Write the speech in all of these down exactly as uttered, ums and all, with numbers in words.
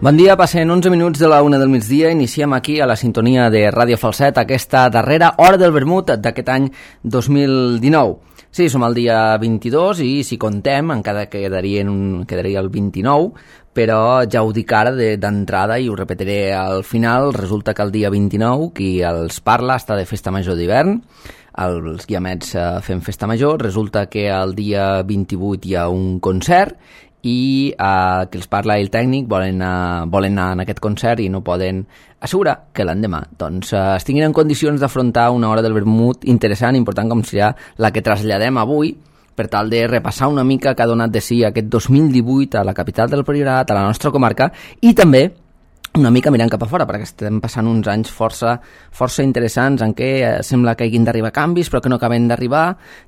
Bon dia, passen onze minuts de la una del migdia, iniciem aquí a la sintonia de Ràdio Falset aquesta darrera hora del vermut d'aquest any dos mil dinou. Sí, som el dia vint-i-dos i si contem encara quedaria, un, quedaria el vint-i-nou, però ja ho dic ara d'entrada i ho repetiré al final, resulta que el dia vint-i-nou qui els parla està de festa major d'hivern, els guiamets eh, fem festa major, resulta que el dia vint-i-vuit hi ha un concert i eh, que els parla el tècnic volen anar, volen anar en aquest concert i no poden assegurar que l'endemà doncs, eh, estiguin en condicions d'afrontar una hora del vermut interessant, important com serà la que traslladem avui per tal de repassar una mica que ha donat de si aquest dos mil divuit a la capital del Priorat, a la nostra comarca i també una mica mirant cap a fora, perquè estem passant uns anys força, força interessants en què eh, sembla que hagin d'arribar canvis però que no acaben d'arribar.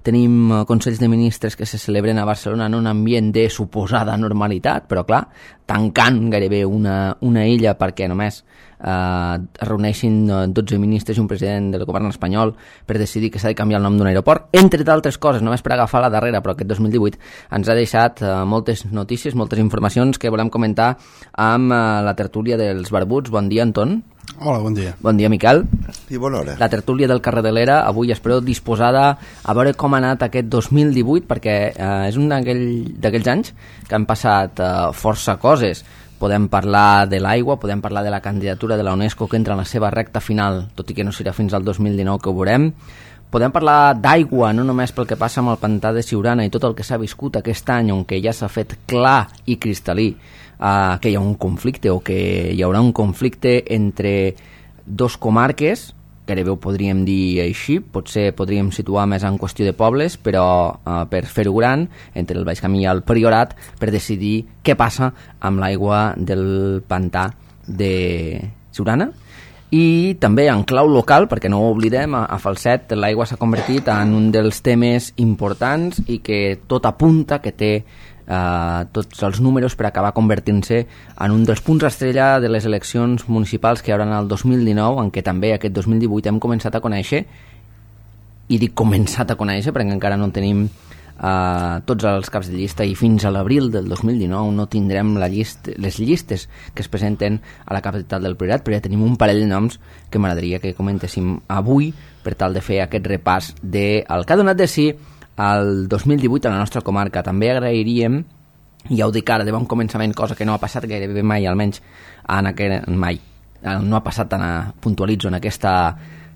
Tenim eh, consells de ministres que se celebren a Barcelona en un ambient de suposada normalitat, però clar, tancant gairebé una, una illa perquè només eh, es reuneixin dotze ministres i un president del govern espanyol per decidir que s'ha de canviar el nom d'un aeroport, entre d'altres coses, només per agafar la darrera, però aquest dos mil divuit ens ha deixat eh, moltes notícies, moltes informacions que volem comentar amb eh, la tertúlia dels barbuts. Bon dia, Anton. Hola, bon dia. Bon dia, Miquel. I bona hora. La tertúlia del carrer de l'Era, avui espero disposada a veure com ha anat aquest dos mil divuit, perquè eh, és un d'aquells anys que han passat eh, força coses. Podem parlar de l'aigua, podem parlar de la candidatura de la UNESCO que entra en la seva recta final, tot i que no serà fins al dos mil dinou que ho veurem. Podem parlar d'aigua, no només pel que passa amb el pantà de Siurana i tot el que s'ha viscut aquest any, on que ja s'ha fet clar i cristal·lí Uh, que hi ha un conflicte o que hi haurà un conflicte entre dos comarques, gairebé ho podríem dir així, potser podríem situar més en qüestió de pobles, però uh, per fer-ho gran, entre el Baix Camí i el Priorat, per decidir què passa amb l'aigua del pantà de Siurana. I també en clau local, perquè no ho oblidem, a, a Falset l'aigua s'ha convertit en un dels temes importants i que tot apunta que té Uh, tots els números per acabar convertint-se en un dels punts estrella de les eleccions municipals que hi haurà el dos mil dinou, en què també aquest dos mil divuit hem començat a conèixer, i dic començat a conèixer perquè encara no tenim uh, tots els caps de llista i fins a l'abril del dos mil dinou no tindrem la llist, les llistes que es presenten a la capital del Priorat, però ja tenim un parell de noms que m'agradaria que comentéssim avui per tal de fer aquest repàs del que ha donat de si el dos mil divuit a la nostra comarca. També agrairíem, i ja ho dic ara de bon començament, cosa que no ha passat gairebé mai, almenys en aquest, mai, no ha passat tan a, puntualitzo en aquesta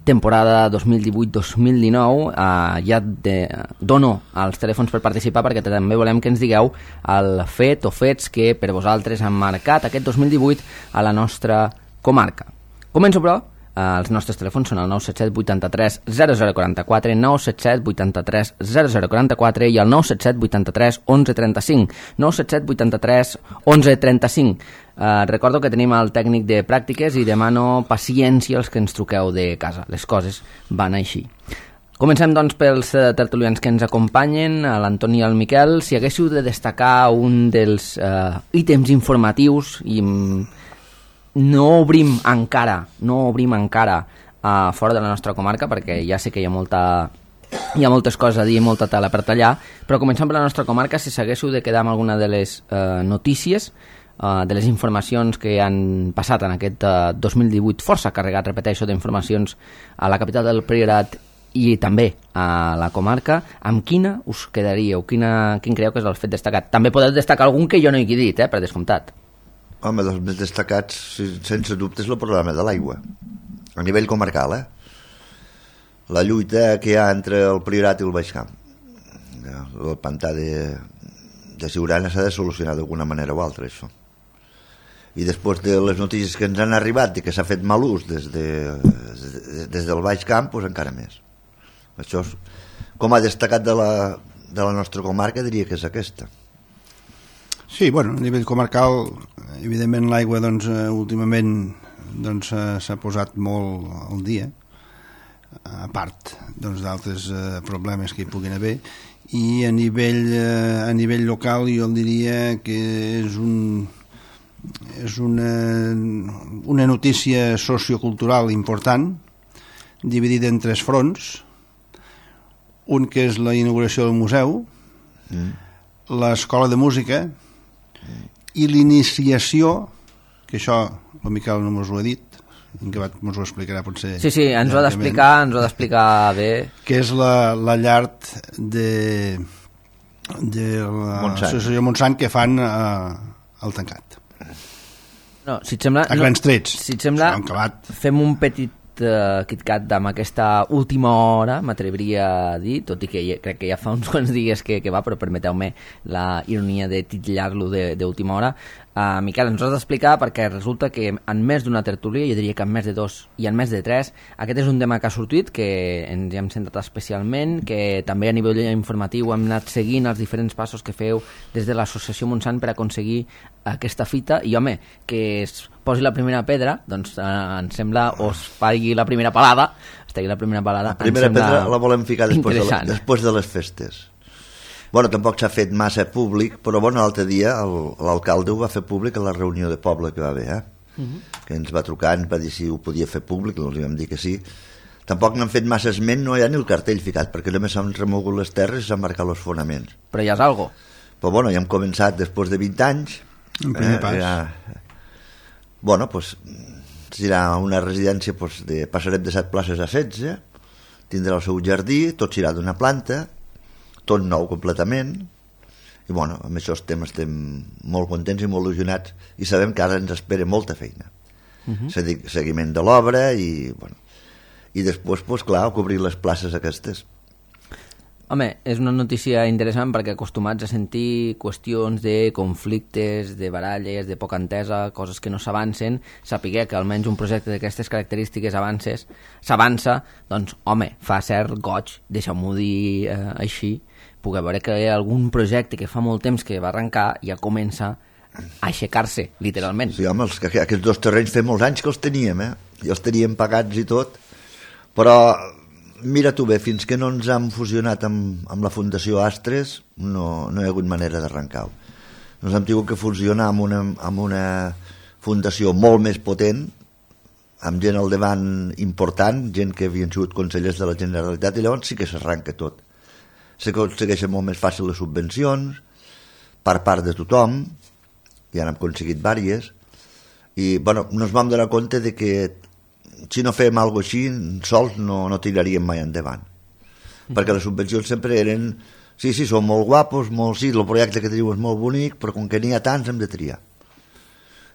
temporada dos mil divuit dos mil dinou, eh, ja de, dono els telèfons per participar perquè també volem que ens digueu el fet o fets que per vosaltres han marcat aquest dos mil divuit a la nostra comarca. Començo, però. Uh, els nostres telèfons són el nou set set vuitanta-tres zero zero quaranta-quatre, nou set set vuitanta-tres zero zero quaranta-quatre i el nou set set vuitanta-tres onze trenta-cinc, nou set set vuitanta-tres onze trenta-cinc. Uh, recordo que tenim el tècnic de pràctiques i demano paciència als que ens truqueu de casa. Les coses van així. Comencem, doncs, pels uh, tertulians que ens acompanyen, l'Antoni i el Miquel. Si haguéssiu de destacar un dels uh, ítems informatius i... no obrim encara no obrim encara uh, fora de la nostra comarca perquè ja sé que hi ha molta hi ha moltes coses a dir, molta tela per tallar, però començant per la nostra comarca, si s'haguéssiu de quedar amb alguna de les uh, notícies, uh, de les informacions que han passat en aquest uh, dos mil divuit força carregat, repeteixo, d'informacions a la capital del Priorat i també a la comarca, amb quina us quedaríeu? Quina, quin creieu que és el fet destacat? També podeu destacar algun que jo no he dit, eh, per descomptat. Home, dels més destacats, sense dubte, és el problema de l'aigua, a nivell comarcal, eh? La lluita que hi ha entre el Priorat i el Baix Camp. El pantà de, de Siurana s'ha de solucionar d'alguna manera o altra, això. I després de les notícies que ens han arribat i que s'ha fet mal ús des, de, des del Baix Camp, doncs encara més. Això, és, com a destacat de la, de la nostra comarca, diria que és aquesta. Sí, bueno, a nivell comarcal, evidentment l'aigua doncs, eh, últimament doncs, eh, s'ha posat molt al dia, a part doncs, d'altres eh, problemes que hi puguin haver, i a nivell, eh, a nivell local jo diria que és, un, és una, una notícia sociocultural important, dividida en tres fronts, un que és la inauguració del museu, mm. l'escola de música i l'iniciació que això el Miquel no mos ho ha dit, que ens ho explicarà potser. Sí, sí, ens ho ha d'explicar, ens ho ha d'explicar bé. Que és la, la llar de, de l'associació Montsant que fan eh, el tancat. No, si et sembla, a grans trets. No, si et sembla, fem un petit uh, KitKat amb aquesta última hora, m'atreviria a dir, tot i que ja, crec que ja fa uns quants dies que, que va, però permeteu-me la ironia de titllar-lo d'última hora. Uh, Miquel, ens has d'explicar perquè resulta que en més d'una tertúlia, jo diria que en més de dos i en més de tres, aquest és un tema que ha sortit, que ens hi hem centrat especialment, que també a nivell informatiu hem anat seguint els diferents passos que feu des de l'associació Montsant per aconseguir aquesta fita, i home, que es posi la primera pedra, doncs eh, em sembla, o es faci la primera palada, es tegui la primera palada, la primera pedra la volem ficar després de, la, després de les festes. Bueno, tampoc s'ha fet massa públic, però bueno, l'altre dia l'alcalde ho va fer públic a la reunió de poble que va haver, eh? Uh-huh. Que ens va trucar, ens va dir si ho podia fer públic, els vam dir que sí. Tampoc n'han fet massa esment, no hi ha ni el cartell ficat, perquè només s'han remogut les terres i s'han marcat els fonaments. Però ja és algo. Però bueno, ja hem començat després de vint anys. Un primer eh, pas. Ja... Bueno, doncs, serà una residència, doncs, de... passarem de set places a setze, tindrà el seu jardí, tot serà d'una planta, tot nou completament, i bueno, amb això estem, estem molt contents i molt il·lusionats, i sabem que ara ens espera molta feina. Uh-huh. Seguiment de l'obra i, bueno, i després, pues, clar, cobrir les places aquestes. Home, és una notícia interessant perquè acostumats a sentir qüestions de conflictes, de baralles, de poca entesa, coses que no s'avancen, saber que almenys un projecte d'aquestes característiques avances, s'avança, doncs, home, fa cert goig, deixa'm-ho dir eh, així, poder veure que algun projecte que fa molt temps que va arrencar ja comença a aixecar-se, literalment. Sí, home, els, aquests dos terrenys fa molts anys que els teníem, eh? I els teníem pagats i tot, però mira tu bé, fins que no ens hem fusionat amb, amb la Fundació Astres no, no hi ha hagut manera d'arrencar-ho. Ens hem tingut que fusionar amb una, amb una fundació molt més potent, amb gent al davant important, gent que havien sigut consellers de la Generalitat, i llavors sí que s'arranca tot. S'aconsegueixen molt més fàcil les subvencions per part de tothom, ja n'hem aconseguit vàries, i bueno, no ens vam donar compte de que si no fèiem alguna cosa així sols no, no tiraríem mai endavant, mm. perquè les subvencions sempre eren sí, sí, són molt guapos, molt, sí, el projecte que teniu és molt bonic, però com que n'hi ha tants hem de triar,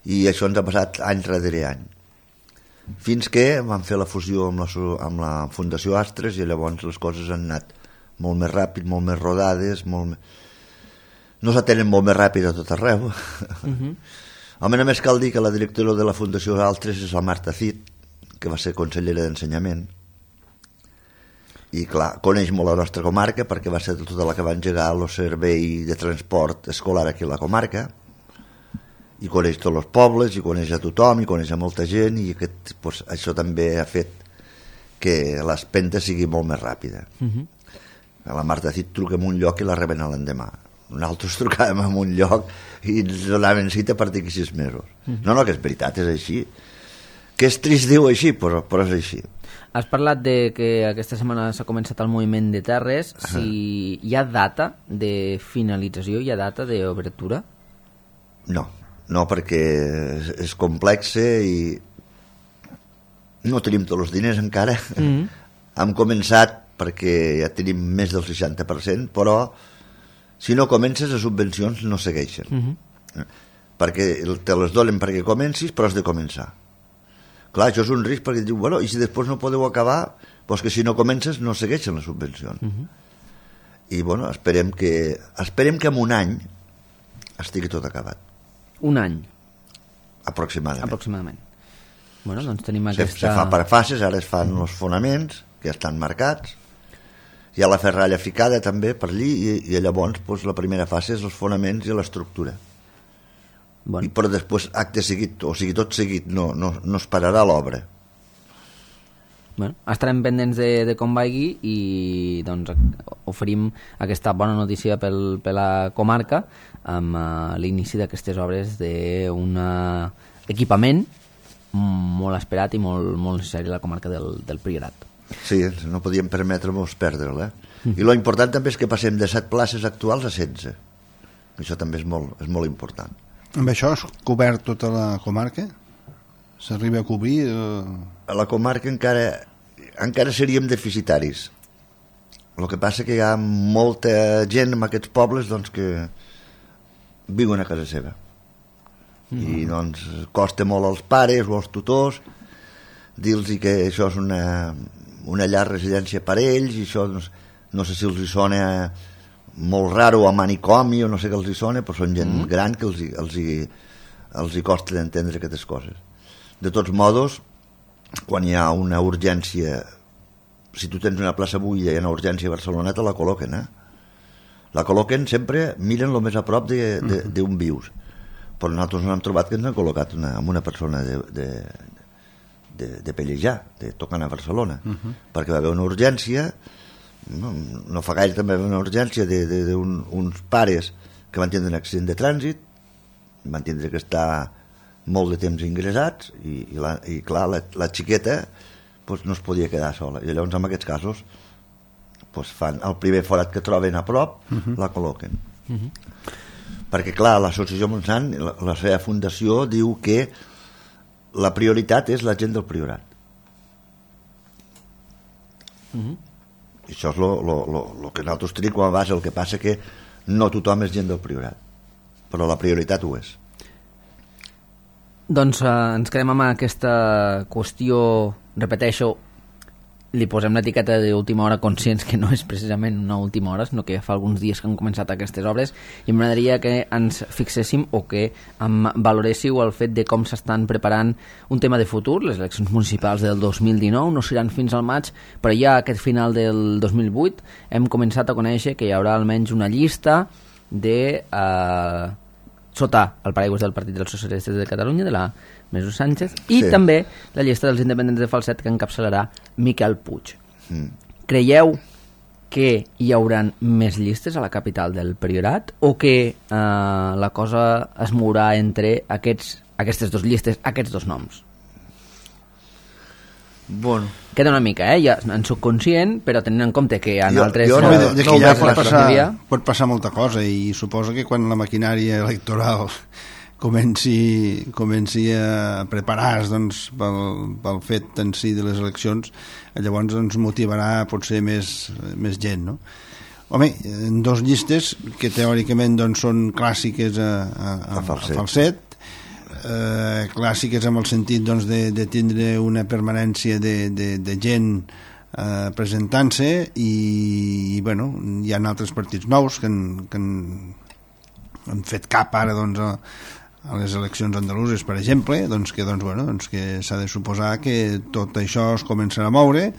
i això ens ha passat any darrere any, fins que vam fer la fusió amb la, amb la Fundació Astres, i llavors les coses han anat molt més ràpid, molt més rodades, molt més... no s'atenen molt més ràpid a tot arreu. Uh-huh. Home, només cal dir que la directora de la Fundació Astres és la Marta Cid, que va ser consellera d'Ensenyament, i clar, coneix molt la nostra comarca perquè va ser tota la que va engegar el servei de transport escolar aquí a la comarca, i coneix tots els pobles, i coneix a tothom, i coneix a molta gent, i aquest, pues, això també ha fet que l'espenta sigui molt més ràpida. Uh-huh. La Marta Cid truca en un lloc i la reben l'endemà. Nosaltres trucàvem en un lloc i ens donaven cita a partir de sis mesos. Uh-huh. No, no, que és veritat, és així. Que és trist dir-ho així, però, però és així. Has parlat de que aquesta setmana s'ha començat el moviment de terres. Uh-huh. Si hi ha data de finalització, hi ha data d'obertura? No, no, perquè és, és complexe i no tenim tots els diners encara. Uh-huh. Hem començat perquè ja tenim més del seixanta per cent, però si no comences les subvencions no segueixen. Uh-huh. Perquè te les donen perquè comencis, però has de començar. Clar, això és un risc perquè diu, bueno, i si després no podeu acabar, doncs que si no comences no segueixen les subvencions. Uh-huh. I bueno, esperem que esperem que en un any estigui tot acabat. Un any? Aproximadament. Aproximadament. Bueno, doncs tenim aquesta... Se, se fa per fases, ara es fan uh-huh. els fonaments, que ja estan marcats, hi ha la ferralla ficada també per allí, i, i llavors doncs, la primera fase és els fonaments i l'estructura. Bon. I però després acte seguit, o sigui tot seguit, no, no, no es pararà l'obra. Bueno, estarem pendents de, de com vagi i doncs oferim aquesta bona notícia pel, per la comarca amb uh, l'inici d'aquestes obres d'un equipament molt esperat i molt, molt necessari a la comarca del, del Priorat. Sí, no podíem permetre-nos perdre'l, eh? Mm. I lo important també és que passem de set places actuals a setze. Això també és molt, és molt important. Amb això has cobert tota la comarca? S'arriba a cobrir? O... A la comarca encara, encara seríem deficitaris. El que passa que hi ha molta gent en aquests pobles doncs, que viuen a casa seva. Mm. I doncs costa molt als pares o als tutors dir-los que això és una, una llar residència per ells, i això doncs, no sé si els hi sona molt raro, a manicomi o no sé què els hi sona, però són gent mm. gran que els hi, els hi, els hi costa d'entendre aquestes coses. De tots modos, quan hi ha una urgència, si tu tens una plaça buida i una urgència a Barcelona, te la col·loquen, eh? La col·loquen sempre, miren el més a prop d'on de, de, de vius. Però nosaltres no hem trobat que ens han col·locat una, amb una persona de, de, de, de Pellejà, de tocant a Barcelona, uh -huh. perquè va haver una urgència, no, no fa gaire també va haver una urgència d'uns un, pares que van tindre un accident de trànsit, van tindre que estar molt de temps ingressats, i, i, la, i clar, la, la xiqueta pues, no es podia quedar sola, i llavors en aquests casos pues, fan el primer forat que troben a prop, uh -huh. la col·loquen. Uh -huh. Perquè clar, l'associació Montsant, la, la seva fundació diu que la prioritat és la gent del Priorat. Uh -huh. I això és el que nosaltres tenim com a base. El que passa que no tothom és gent del Priorat, però la prioritat ho és. Doncs eh, ens quedem amb aquesta qüestió, repeteixo, li posem l'etiqueta d'última hora, conscients que no és precisament una última hora, sinó que ja fa alguns dies que han començat aquestes obres, i m'agradaria que ens fixéssim o que em valoréssiu el fet de com s'estan preparant un tema de futur. Les eleccions municipals del dos mil dinou no seran fins al maig, però ja aquest final del dos mil vuit hem començat a conèixer que hi haurà almenys una llista de... Eh, sota el paraigües del Partit dels Socialistes de Catalunya, de la Mesu Sánchez, i sí. també la llista dels independents de Falset, que encapçalarà Miquel Puig. Mm. Creieu que hi hauran més llistes a la capital del Priorat, o que eh, la cosa es mourà entre aquests, aquestes dues llistes, aquests dos noms? Bueno. Queda una mica, eh? Ja en soc conscient, però tenint en compte que en jo, altres... Jo no, de, de que ja pot passar, no pot passar molta cosa, i suposo que quan la maquinària electoral comenci, comenci a preparar-se doncs, pel, pel fet en si de les eleccions, llavors ens motivarà potser més, més gent, no? Home, en dos llistes que teòricament doncs, són clàssiques a, a, a, a Falset, a Falset Eh, clàssiques en el sentit doncs, de, de tindre una permanència de, de, de gent eh, presentant-se, i, i bueno, hi ha altres partits nous que han, que han, han fet cap ara doncs, a, a les eleccions andaluses, per exemple, doncs que, doncs, bueno, doncs que s'ha de suposar que tot això es començarà a moure,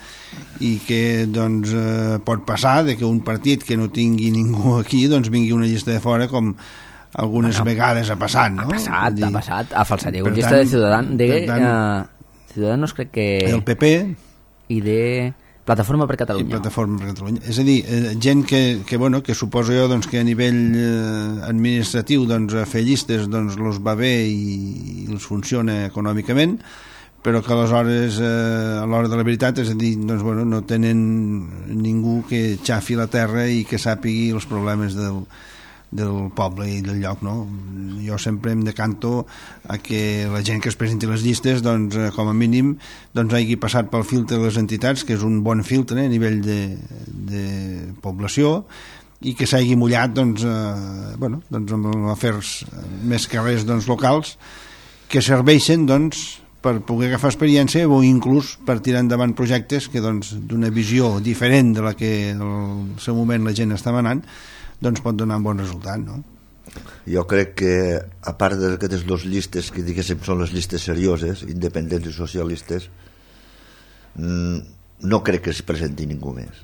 i que doncs, eh, pot passar de que un partit que no tingui ningú aquí doncs vingui una llista de fora, com algunes bueno, vegades ha passat, no? Ha passat, dir, ha passat. A Falset hi ha una llista de Ciutadans, de uh, Ciudadanos, crec que... El P P. I de Plataforma per Catalunya. I Plataforma per Catalunya. És a dir, eh, gent que, que, bueno, que suposo jo doncs, que a nivell eh, administratiu doncs, fer llistes doncs, los va bé i, i els funciona econòmicament, però que aleshores eh, a l'hora de la veritat, és a dir, doncs, bueno, no tenen ningú que xafi la terra i que sàpigui els problemes del del poble i del lloc, no? Jo sempre em decanto a que la gent que es presenti les llistes, doncs, com a mínim, doncs hagi passat pel filtre de les entitats, que és un bon filtre a nivell de, de població, i que s'hagi mullat, doncs, eh, bueno, doncs amb afers més que res doncs, locals, que serveixen, doncs, per poder agafar experiència, o inclús per tirar endavant projectes que, doncs, d'una visió diferent de la que en el seu moment la gent està manant, doncs pot donar un bon resultat, no? Jo crec que, a part d'aquestes dues llistes que diguéssim són les llistes serioses, independents i socialistes, no crec que s'hi presenti ningú més.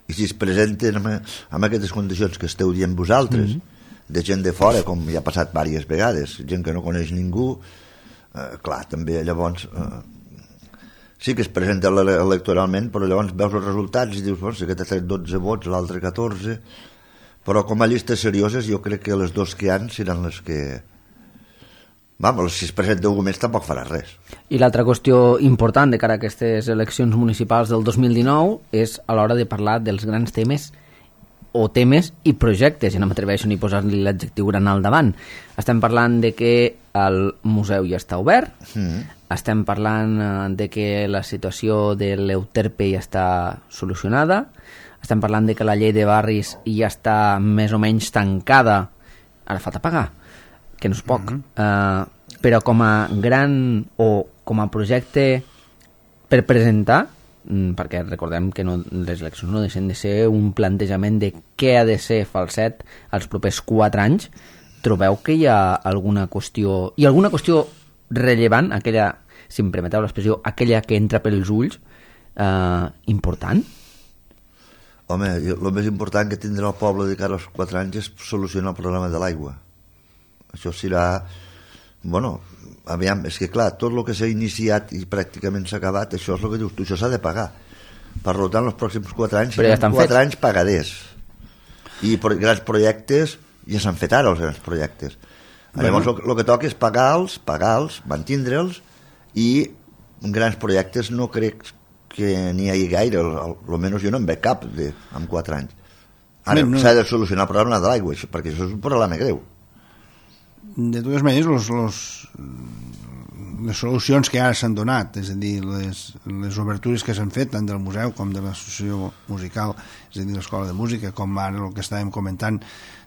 I si es presenten amb, amb aquestes condicions que esteu dient vosaltres, mm-hmm. de gent de fora, com ja ha passat diverses vegades, gent que no coneix ningú, eh, clar, també llavors eh, sí que es presenta electoralment, però llavors veus els resultats i dius, bueno, si aquest ha tret dotze vots, l'altre catorze, però com a llistes serioses jo crec que les dues que hi ha seran les que... Vamos, si es presenta algú més tampoc farà res. I l'altra qüestió important de cara a aquestes eleccions municipals del dos mil dinou és a l'hora de parlar dels grans temes o temes i projectes, i no m'atreveixo ni posar-li l'adjectiu gran al davant. Estem parlant de que el museu ja està obert, mm. estem parlant de que la situació de l'Euterpe ja està solucionada, estem parlant de que la llei de barris ja està més o menys tancada, ara falta pagar, que no és poc, mm-hmm. uh, però com a gran o com a projecte per presentar, perquè recordem que no, les eleccions no deixen de ser un plantejament de què ha de ser Falset els propers quatre anys, trobeu que hi ha alguna qüestió, i alguna qüestió rellevant, aquella, si em permeteu l'expressió, aquella que entra pels ulls, eh, important? Home, el més important que tindrà el poble de cara als quatre anys és solucionar el problema de l'aigua. Això serà... Bueno, aviam, és que clar, tot el que s'ha iniciat i pràcticament s'ha acabat, això és el que dius tu, això s'ha de pagar. Per tant, els pròxims quatre anys ja seran quatre anys pagaders. I pro grans projectes, ja s'han fet ara els grans projectes. Bueno. Llavors, el que toca és pagar-los, pagar-los, mantindre'ls, i grans projectes no crec que n'hi hagi gaire, almenys jo no en veig cap de, en quatre anys. Ara no, no. S'ha de solucionar el problema de l'aigua, perquè això és un problema greu. De totes maneres, los, los, les solucions que ara s'han donat, és a dir, les, les obertures que s'han fet tant del museu com de l'associació musical, és a dir, l'escola de música, com ara el que estàvem comentant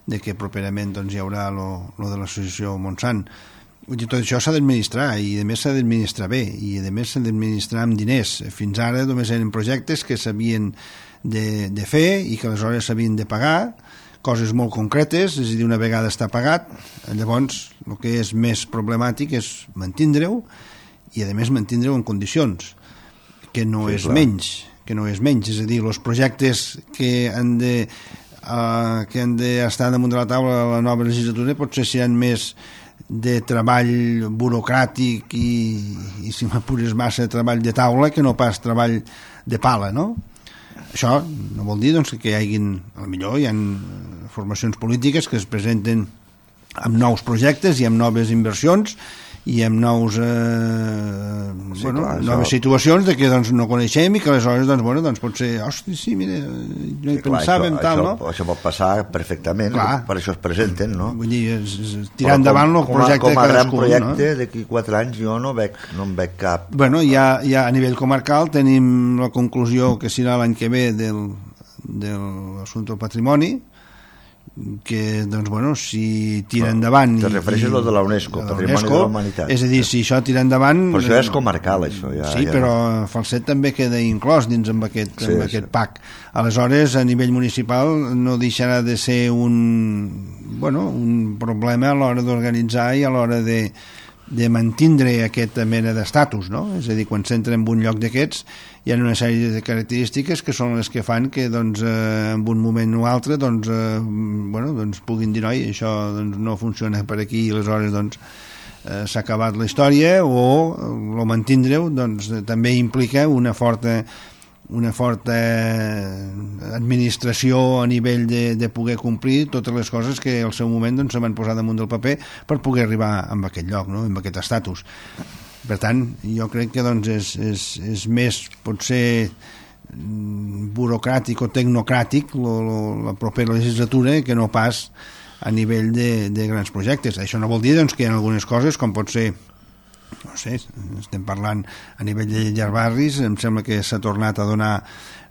de que properament doncs, hi haurà lo, lo de l'associació Montsant. Tot això s'ha d'administrar, i a més s'ha d'administrar bé, i a més s'ha d'administrar amb diners. Fins ara només eren projectes que s'havien de, de fer i que aleshores s'havien de pagar, coses molt concretes, és a dir, una vegada està pagat, llavors el que és més problemàtic és mantindre-ho, i a més mantindre-ho en condicions, que no sí, és clar. menys, que no és menys, és a dir, els projectes que han de uh, que han d'estar damunt de la taula a la nova legislatura potser seran més de treball burocràtic i, i si m'apures massa treball de taula que no pas treball de pala, no? Això no vol dir doncs, que hi hagin, potser hi ha formacions polítiques que es presenten amb nous projectes i amb noves inversions i amb nous, eh, sí, bueno, clar, noves això... situacions de que doncs, no coneixem i que aleshores doncs, bueno, doncs pot ser, hosti, sí, mira, no hi sí, pensàvem, clar, tal, això, no? Això pot passar perfectament, clar. Per això es presenten, no? Vull dir, és, és, tirar endavant el projecte com a, com a gran projecte, no? d'aquí quatre anys jo no, veig, no en veig cap. Bueno, ja, ja a nivell comarcal tenim la conclusió que serà l'any que ve del, del assumpte del patrimoni, que, doncs, bueno, si tira endavant... Te refereixes a de la UNESCO, de la Patrimoni UNESCO, de la Humanitat. És a dir, si això tira endavant... Però això és comarcal, això. Ja, sí, ja però no. Falset també queda inclòs dins amb aquest, sí, amb aquest sí. P A C. Aleshores, a nivell municipal, no deixarà de ser un, bueno, un problema a l'hora d'organitzar i a l'hora de, de mantindre aquesta mena d'estatus, no? És a dir, quan s'entra en un lloc d'aquests hi ha una sèrie de característiques que són les que fan que doncs, eh, en un moment o altre doncs, eh, bueno, doncs puguin dir noi, això doncs, no funciona per aquí i aleshores doncs, eh, s'ha acabat la història, o el mantindre-ho doncs, també implica una forta una forta administració a nivell de, de poder complir totes les coses que al seu moment doncs, se van posar damunt del paper per poder arribar a aquest lloc, no? En aquest estatus. Per tant, jo crec que doncs, és, és, és més, potser, burocràtic o tecnocràtic lo, lo, la propera legislatura que no pas a nivell de, de grans projectes. Això no vol dir doncs, que hi ha algunes coses, com pot ser, no sé, estem parlant a nivell de llarbarris, em sembla que s'ha tornat a donar,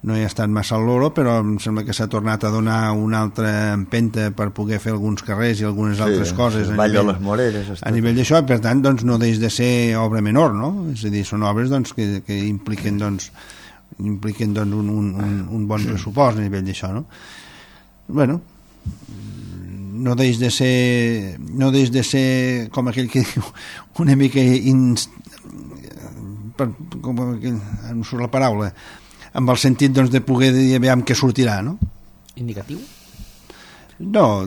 no he estat massa al loro, però em sembla que s'ha tornat a donar una altra empenta per poder fer alguns carrers i algunes sí, altres coses sí, a nivell, les Moreres, a nivell d'això, per tant doncs, no deix de ser obra menor, no? És a dir, són obres doncs, que, que impliquen, doncs, impliquen doncs, un, un, un, un bon pressupost a nivell d'això, no? Bueno, no deix de ser no deix de ser com aquell que diu una mica inst... per, com aquell, em surt la paraula, amb el sentit doncs, de poder dir aviam què sortirà, no? Indicatiu? No,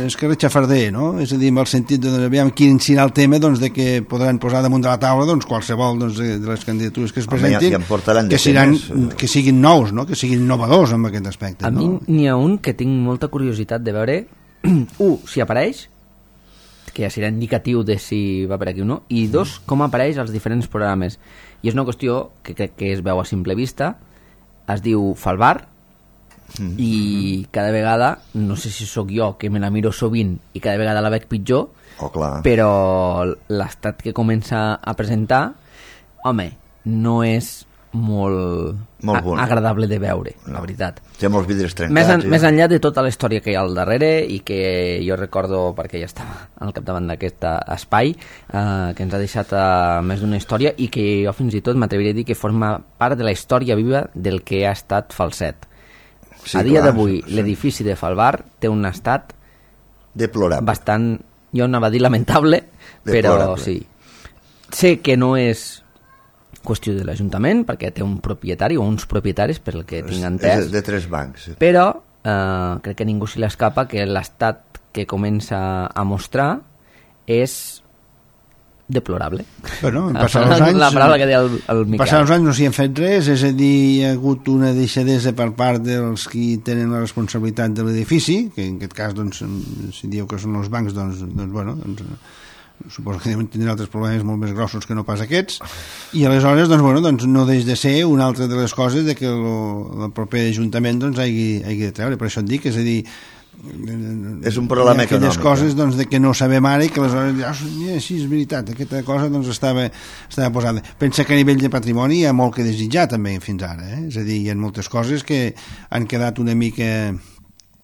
és que retxafarder, no? És a dir, amb el sentit de aviam quin serà el tema doncs, de que podran posar damunt de la taula doncs, qualsevol doncs, de les candidatures que es presentin, Home, ja, ja que, seran, que siguin nous, no? Que siguin innovadors en aquest aspecte. A no? mi n'hi ha un que tinc molta curiositat de veure, un, si apareix, que ja serà indicatiu de si va per aquí o no, i dos, com apareix als diferents programes. I és una qüestió que crec que es veu a simple vista, es diu Falbar, mm. i cada vegada, no sé si sóc jo que me la miro sovint i cada vegada la veig pitjor, oh, clar. però l'estat que comença a presentar, home, no és molt, molt bon. agradable de veure, no. la veritat. Té molts vidres trencats. Més, en, ja. més enllà de tota la història que hi ha al darrere i que jo recordo, perquè ja estava al capdavant d'aquest espai, eh, que ens ha deixat eh, més d'una història i que jo fins i tot m'atreviria a dir que forma part de la història viva del que ha estat Falset. Sí, a dia d'avui, sí. l'edifici de Falvar té un estat deplorable. Bastant, jo anava a dir lamentable, deplorable. Però sí. Sé que no és qüestió de l'Ajuntament, perquè té un propietari o uns propietaris, per el que tinc entès. És de tres bancs. Sí. Però eh, crec que ningú se l'escapa que l'estat que comença a mostrar és deplorable. Bueno, passant els anys, la paraula que deia el, el Miquel. Passant els anys no s'hi han fet res, és a dir, hi ha hagut una deixadesa per part dels qui tenen la responsabilitat de l'edifici, que en aquest cas, doncs, si dieu que són els bancs, doncs, doncs bueno, doncs, suposo que tindran altres problemes molt més grossos que no pas aquests, i aleshores doncs, bueno, doncs, no deix de ser una altra de les coses de que el, el proper Ajuntament doncs, hagi, hagi de treure, per això et dic, és a dir, és un problema aquelles econòmic, coses doncs, de que no sabem ara i que aleshores ja, sí, és veritat, aquesta cosa doncs, estava, estava posada. Pensa que a nivell de patrimoni hi ha molt que desitjar també fins ara, eh? És a dir, hi ha moltes coses que han quedat una mica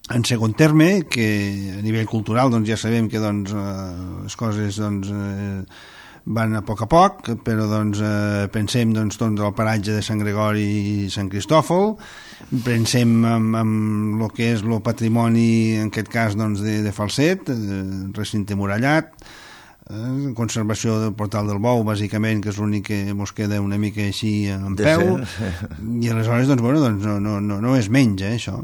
en segon terme, que a nivell cultural doncs, ja sabem que doncs, eh, les coses doncs, eh, van a poc a poc, però doncs, eh, pensem doncs, doncs, el paratge de Sant Gregori i Sant Cristòfol, pensem en, en el que és el patrimoni, en aquest cas doncs, de, de Falset, eh, recinte murallat, eh, conservació del Portal del Bou, bàsicament, que és l'únic que ens queda una mica així en peu, i aleshores doncs, bueno, doncs, no, no, no, no és menys, eh, això.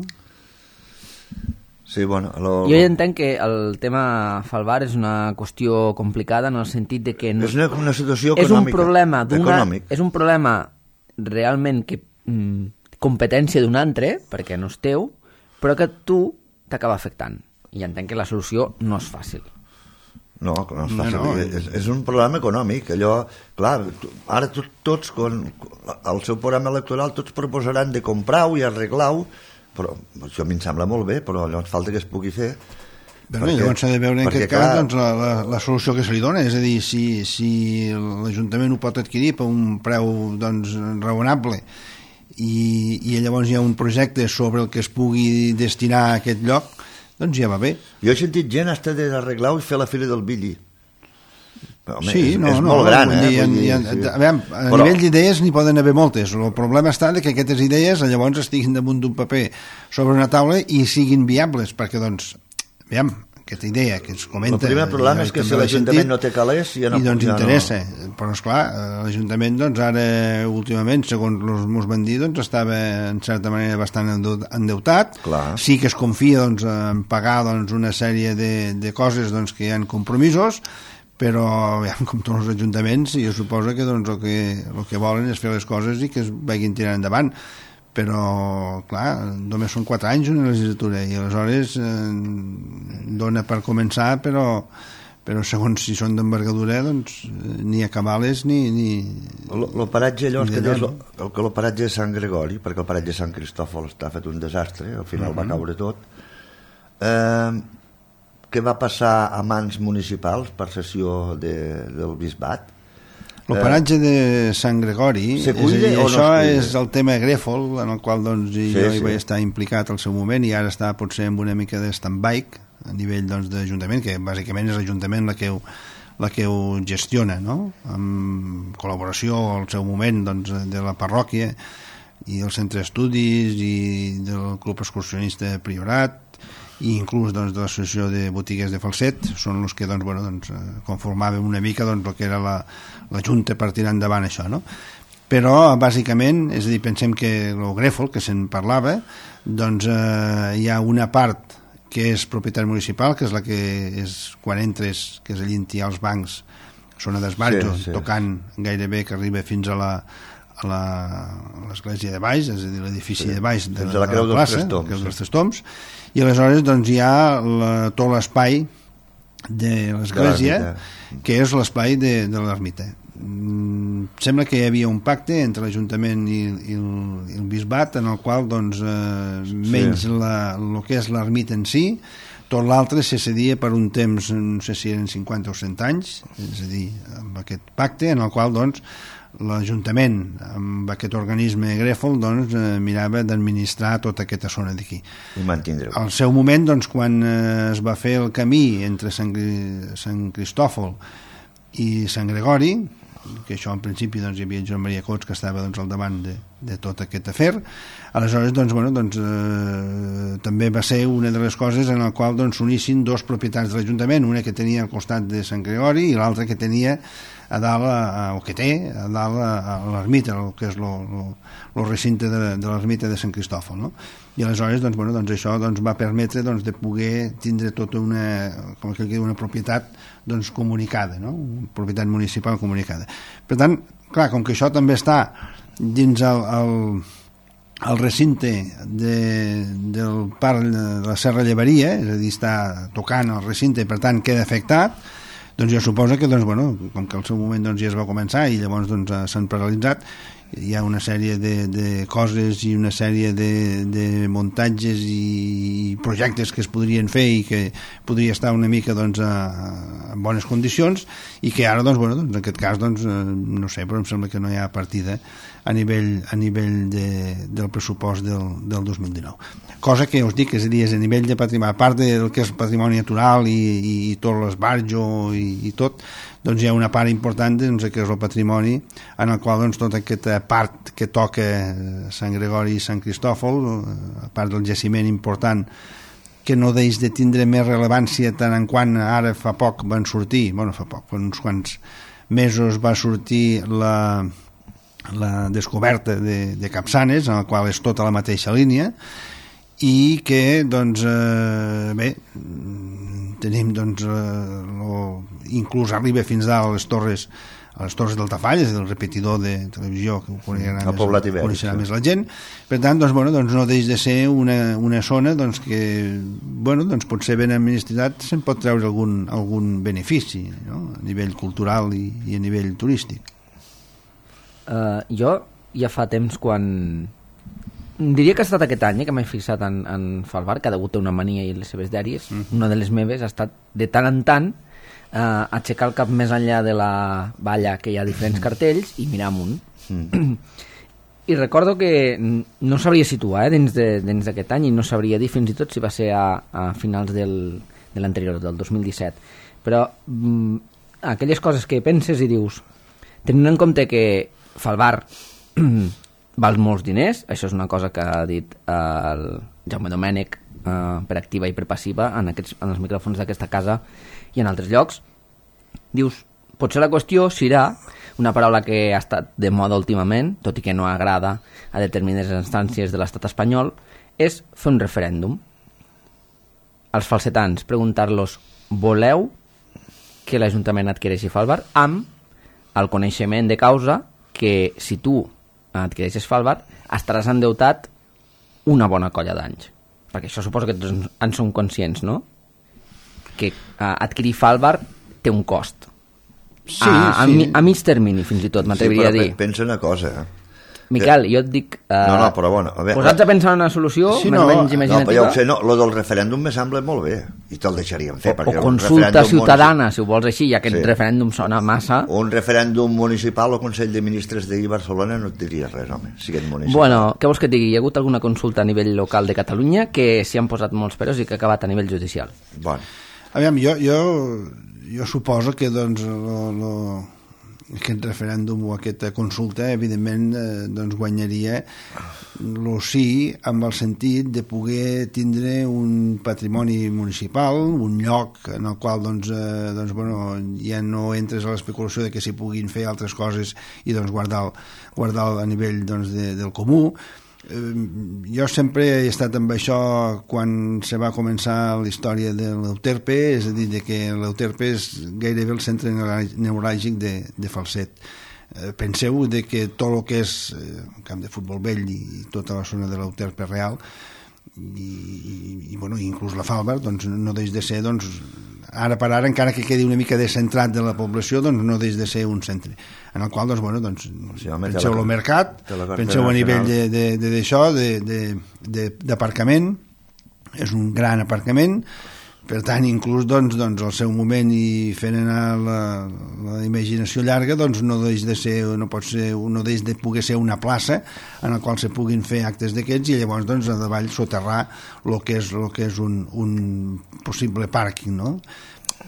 Sí, bueno, lo... Jo ja entenc que el tema Falvar és una qüestió complicada en el sentit de que no... és una, una situació és econòmica, un problema econòmic. És un problema realment que mm, competència d'un altre, perquè no és teu, però que tu t'acaba afectant. I entenc que la solució no és fàcil. No, no és fàcil. No, no. És, és un problema econòmic. Allò, clar, ara tots, quan, al seu programa electoral, tots proposaran de comprar-ho i arreglar-ho, però això a mi em sembla molt bé, però llavors falta que es pugui fer. Però perquè, llavors s'ha de veure en aquest clar, cas doncs, la, la, la solució que se li dona, és a dir, si, si l'Ajuntament ho pot adquirir per un preu doncs, raonable i, i llavors hi ha un projecte sobre el que es pugui destinar a aquest lloc, doncs ja va bé. Jo he sentit gent hasta d'arreglar-ho i fer la fira del Billi. Home, sí, és, no, és no, molt gran, eh? Dir, dir, ha, sí. a, veure, a però... nivell d'idees n'hi poden haver moltes. El problema està que aquestes idees llavors estiguin damunt d'un paper sobre una taula i siguin viables, perquè, doncs, veiem, aquesta idea que es comenta... El primer problema és que si l'Ajuntament no té calés ja no... I doncs ja interessa, no... però esclar, l'Ajuntament doncs ara últimament, segons els meus van dir, doncs estava en certa manera bastant endeutat, clar. Sí que es confia doncs, en pagar doncs, una sèrie de, de coses doncs, que hi ha compromisos, però ja, com tots els ajuntaments jo suposo que doncs, el, que el que volen és fer les coses i que es vagin tirant endavant, però clar, només són quatre anys una legislatura i aleshores eh, dona per començar, però però segons si són d'envergadura doncs ni a cabales ni... ni el paratge allò que deies, el, el paratge de Sant Gregori, perquè el paratge de Sant Cristòfol està fet un desastre, al final uh-huh. va caure tot, eh, que va passar a mans municipals per cessió de, del bisbat. El paratge de Sant Gregori, se és a dir, no això és el tema Grèfol, en el qual doncs, sí, jo sí. hi vaig estar implicat al seu moment i ara està potser amb una mica de stand-by a nivell doncs, d'Ajuntament, que bàsicament és l'Ajuntament la que ho, la que ho gestiona, no? Amb col·laboració al seu moment doncs, de la parròquia i del centre d'estudis i del club excursionista Priorat i inclús doncs, de l'associació de botigues de Falset, són els que doncs, bueno, doncs, conformàvem una mica doncs, el que era la, la junta per tirar endavant això, no? Però bàsicament, és a dir, pensem que el Grèfol, que se'n parlava, doncs eh, hi ha una part que és propietat municipal, que és la que és quan entres, que és allà on hi ha els bancs, zona d'esbarjo, sí, sí. Tocant gairebé que arriba fins a la a l'església de baix, és a dir, l'edifici sí, de baix de, de la Creu de la plaça, dels Creu dels Tres Toms, i aleshores doncs, hi ha la, tot l'espai de l'església, que és l'espai de, de l'ermita. sembla que hi havia un pacte entre l'Ajuntament i, i, el, i el Bisbat en el qual doncs, eh, menys sí. la, el que és l'ermita en si, tot l'altre se cedia per un temps, no sé si eren cinquanta o cent anys, és a dir, amb aquest pacte en el qual doncs, l'Ajuntament, amb aquest organisme grèfol, doncs, eh, mirava d'administrar tota aquesta zona d'aquí. I mantindre-ho. Al seu moment, doncs, quan eh, es va fer el camí entre Sant, Sant Cristòfol i Sant Gregori, que això en principi doncs, hi havia Joan Maria Cots que estava doncs, al davant de, de tot aquest afer, aleshores doncs, bueno, doncs, eh, també va ser una de les coses en la qual doncs, s'unissin dos propietats de l'Ajuntament, una que tenia al costat de Sant Gregori i l'altra que tenia a dalt, a, o que té a dalt a, a l'ermita, el que és el recinte de, de l'ermita de Sant Cristòfol, no? I aleshores doncs, bueno, doncs, això doncs, va permetre doncs, de poder tindre tota una, com que una propietat doncs, comunicada, no? Una propietat municipal comunicada. Per tant, clar, com que això també està dins el, el, el recinte de, del parc de la Serra Llevaria, és a dir, està tocant el recinte i per tant queda afectat, doncs jo suposo que, doncs, bueno, com que al seu moment doncs, ja es va començar i llavors doncs, s'han paralitzat, hi ha una sèrie de, de coses i una sèrie de, de muntatges i projectes que es podrien fer i que podria estar una mica doncs, a, a bones condicions i que ara, doncs, bueno, doncs, en aquest cas doncs, no sé, però em sembla que no hi ha partida a nivell, a nivell de, del pressupost del, del dos mil dinou. Cosa que us dic, és a dir, és a nivell de patrimoni, a part del que és patrimoni natural i, i, i tot l'esbarjo i, i tot, doncs hi ha una part important doncs, que és el patrimoni en el qual doncs, tota aquesta part que toca Sant Gregori i Sant Cristòfol, a part del jaciment important que no deix de tindre més rellevància tant en quant ara fa poc van sortir, bueno, fa poc, fa uns quants mesos va sortir la, la descoberta de, de Capçanes, en la qual és tota la mateixa línia, i que, doncs, eh, bé, tenim, doncs, eh, lo, inclús arriba fins a les torres a les torres d'Altafall, és el repetidor de televisió que ho coneixerà, més, Ibèric, coneixerà sí. més la gent. Per tant, doncs, bueno, doncs no deix de ser una, una zona doncs, que bueno, doncs, pot ser ben administrat, se'n pot treure algun, algun benefici, no? A nivell cultural i, i a nivell turístic. Uh, jo ja fa temps quan... Diria que ha estat aquest any eh, que m'he fixat en, en Falvar, que ha degut una mania i les seves dèries. Mm-hmm. Una de les meves ha estat de tant en tant Uh, aixecar el cap més enllà de la valla que hi ha diferents cartells i mirar amunt. Mm. I recordo que no sabria situar eh, dins d'aquest any i no sabria dir fins i tot si va ser a, a finals del, de l'anterior, del dos mil disset. Però mm, aquelles coses que penses i dius, tenint en compte que Falvar val molts diners, això és una cosa que ha dit eh, el Jaume Domènech eh, per activa i per passiva en, aquests, en els micròfons d'aquesta casa i en altres llocs, dius, potser la qüestió serà una paraula que ha estat de moda últimament, tot i que no agrada a determinades instàncies de l'estat espanyol, és fer un referèndum. Als falsetans, preguntar-los, voleu que l'Ajuntament adquireixi Falvar amb el coneixement de causa que si tu adquireixes Falvar estaràs endeutat una bona colla d'anys. Perquè això suposo que tots en som conscients, no? Que uh, adquirir Falvar té un cost. Sí, a, a, sí. mi, a mig termini, fins i tot, m'atreviria sí, a dir. Pensa una cosa, eh? Miquel, jo et dic... Uh, no, no, però bueno... A veure, posats a pensar en una solució sí, més no, o menys no, imaginativa... però ja ho sé, no, lo del referèndum me sembla molt bé, i te'l deixaríem fer. O, o consulta ciutadana, si ho vols així, ja que sí. el referèndum sona massa... Un referèndum municipal o Consell de Ministres de Barcelona no et diria res, home, si aquest municipal. Bueno, què vols que et digui? Hi ha hagut alguna consulta a nivell local de Catalunya que s'hi han posat molts peros i que ha acabat a nivell judicial. Bueno. Aviam, jo, jo, jo suposo que doncs, lo, lo, aquest referèndum o aquesta consulta evidentment eh, doncs guanyaria lo sí amb el sentit de poder tindre un patrimoni municipal, un lloc en el qual doncs, eh, doncs, bueno, ja no entres a l'especulació de que s'hi puguin fer altres coses i doncs, guardar, guardar a nivell doncs, de, del comú. Jo sempre he estat amb això quan se va començar la història de l'Euterpe, és a dir, de que l'Euterpe és gairebé el centre neuràlgic de, de Falset. Penseu de que tot el que és camp de futbol vell i tota la zona de l'Euterpe real i, i, i bueno, inclús la Falvar doncs, no deix de ser doncs, ara per ara, encara que quedi una mica descentrat de la població, doncs no deix de ser un centre en el qual, doncs, bueno, doncs, sí, home, penseu al mercat, penseu a nivell d'això, d'aparcament, és un gran aparcament, per tant, inclús doncs, doncs, al seu moment i fent anar la, la imaginació llarga, doncs no deix de ser, no pot ser, no deix de poder ser una plaça en la qual se puguin fer actes d'aquests i llavors doncs a davall soterrar el que és, lo que és un, un possible pàrquing, no?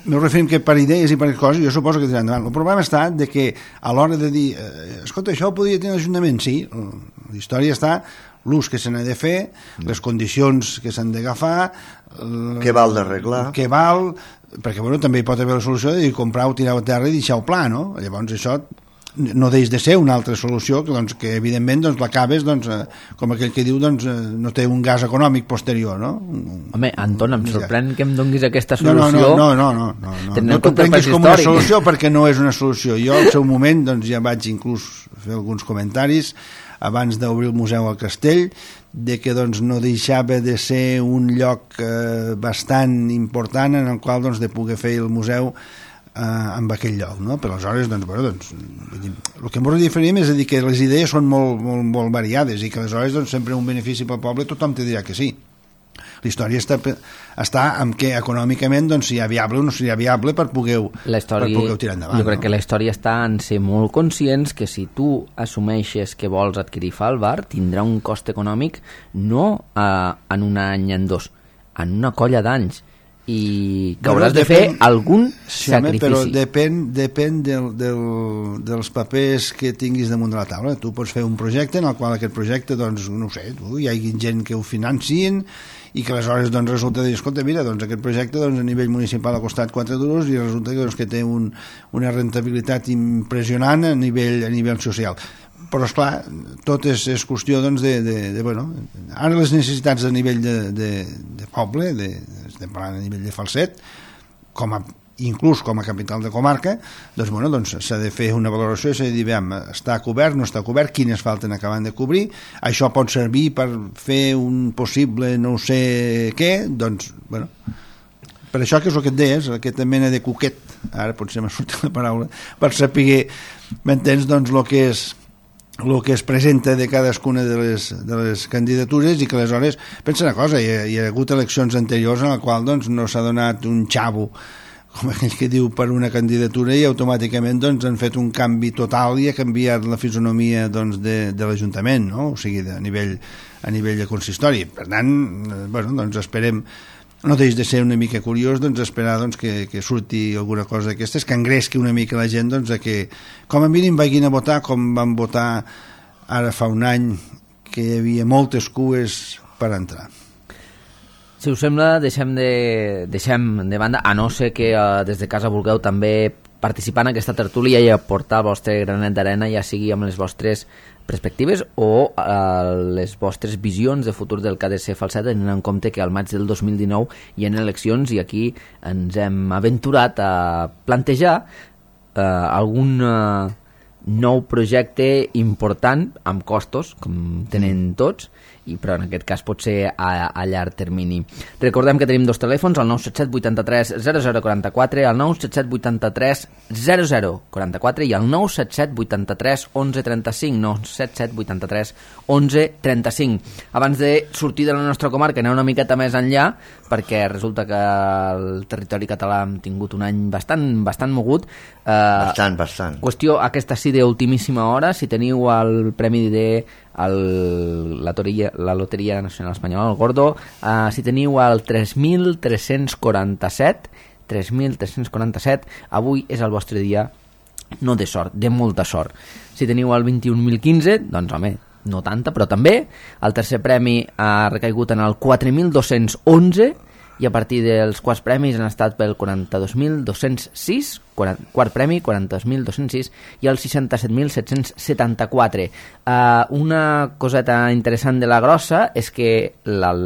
M'ho referim que per idees i per coses jo suposo que tindran endavant. El problema està de que a l'hora de dir eh, escolta, això ho podria tenir l'Ajuntament, sí, la història està l'ús que se n'ha de fer, les condicions que s'han d'agafar, què val d'arreglar, què val, perquè bueno, també hi pot haver la solució de comprar-ho, tirar-ho a terra i deixar-ho pla, no? Llavors això no deix de ser una altra solució que, doncs, que evidentment doncs, l'acabes doncs, eh, com aquell que diu doncs, eh, no té un gas econòmic posterior, no? Home, Anton, em sorprèn que em donguis aquesta solució. No, no, no, no, no, no, no t'ho prenguis com una solució perquè no és una solució. Jo al seu moment doncs, ja vaig inclús fer alguns comentaris abans d'obrir el museu al Castell, de que doncs, no deixava de ser un lloc eh, bastant important en el qual doncs, de poder fer el museu eh, en aquell lloc, no? Per aleshores, doncs, bueno, doncs, el que ens diferim és a dir que les idees són molt, molt, molt variades i que aleshores doncs, sempre un benefici pel poble tothom te dirà que sí. La història està, està en què econòmicament doncs, si hi ha viable o no seria viable per poder-ho tirar endavant. Jo crec no? que la història està en ser molt conscients que si tu assumeixes que vols adquirir Falbar tindrà un cost econòmic no eh, en un any, en dos, en una colla d'anys i que hauràs de fer algun sí, sacrifici. Però depèn, depèn del, del, dels papers que tinguis damunt de la taula. Tu pots fer un projecte en el qual aquest projecte, doncs, no ho sé, tu, hi hagi gent que ho financin i que aleshores doncs, resulta de dir, escolta, mira, doncs aquest projecte doncs, a nivell municipal ha costat quatre duros i resulta que, doncs, que té un, una rentabilitat impressionant a nivell, a nivell social. Però, esclar, tot és, és qüestió doncs, de, de, de, bueno, ara les necessitats a nivell de, de, de poble, de, estem parlant a nivell de Falset, com a, inclús com a capital de comarca, doncs, bueno, doncs s'ha de fer una valoració i s'ha de dir, veiem, està cobert, no està cobert, quines falten acabant de cobrir, això pot servir per fer un possible no sé què, doncs, bueno, per això que és el que et deies, aquesta mena de coquet, ara potser m'ha sortit la paraula, per saber, m'entens, doncs, el que és el que es presenta de cadascuna de les, de les candidatures i que aleshores, pensa una cosa, hi ha, hi ha hagut eleccions anteriors en la qual doncs, no s'ha donat un xavo com aquell que diu per una candidatura i automàticament doncs, han fet un canvi total i ha canviat la fisonomia doncs, de, de l'Ajuntament, no? O sigui, a nivell, a nivell de consistori. Per tant, bueno, doncs esperem, no deix de ser una mica curiós doncs, esperar doncs, que, que surti alguna cosa d'aquestes, que engresqui una mica la gent doncs, a que com a mínim vagin a votar com van votar ara fa un any que hi havia moltes cues per entrar. Si us sembla, deixem de, deixem de banda, a no ser que uh, des de casa vulgueu també participar en aquesta tertúlia i aportar el vostre granet d'arena, ja sigui amb les vostres perspectives o uh, les vostres visions de futur del K D C Falset, tenint en compte que al maig del dos mil dinou hi ha eleccions i aquí ens hem aventurat a plantejar uh, algun uh, nou projecte important amb costos, com tenen tots, i però en aquest cas pot ser a, a llarg termini. Recordem que tenim dos telèfons, el nou set set vuit tres zero zero quatre quatre, el nou set set vuit tres zero zero quatre quatre i el nou set set vuit tres onze trenta cinc, nou set set vuit tres onze trenta cinc. Abans de sortir de la nostra comarca, anar una miqueta més enllà, perquè resulta que el territori català ha tingut un any bastant, bastant mogut. Eh, bastant, bastant. Qüestió, aquesta sí d'ultimíssima hora, si teniu el premi de el, la, toria, la Loteria Nacional Espanyola, el Gordo, uh, si teniu el tres mil tres-cents quaranta-set, tres mil tres-cents quaranta-set, avui és el vostre dia, no de sort, de molta sort. Si teniu el vint-i-un mil quinze, doncs home, no tanta, però també. El tercer premi ha recaigut en el quatre mil dos-cents onze i a partir dels quarts premis han estat pel quaranta-dos mil dos-cents sis, quart premi quaranta-dos mil dos-cents sis i el seixanta-set mil set-cents setanta-quatre. Uh, una coseta interessant de la grossa és que el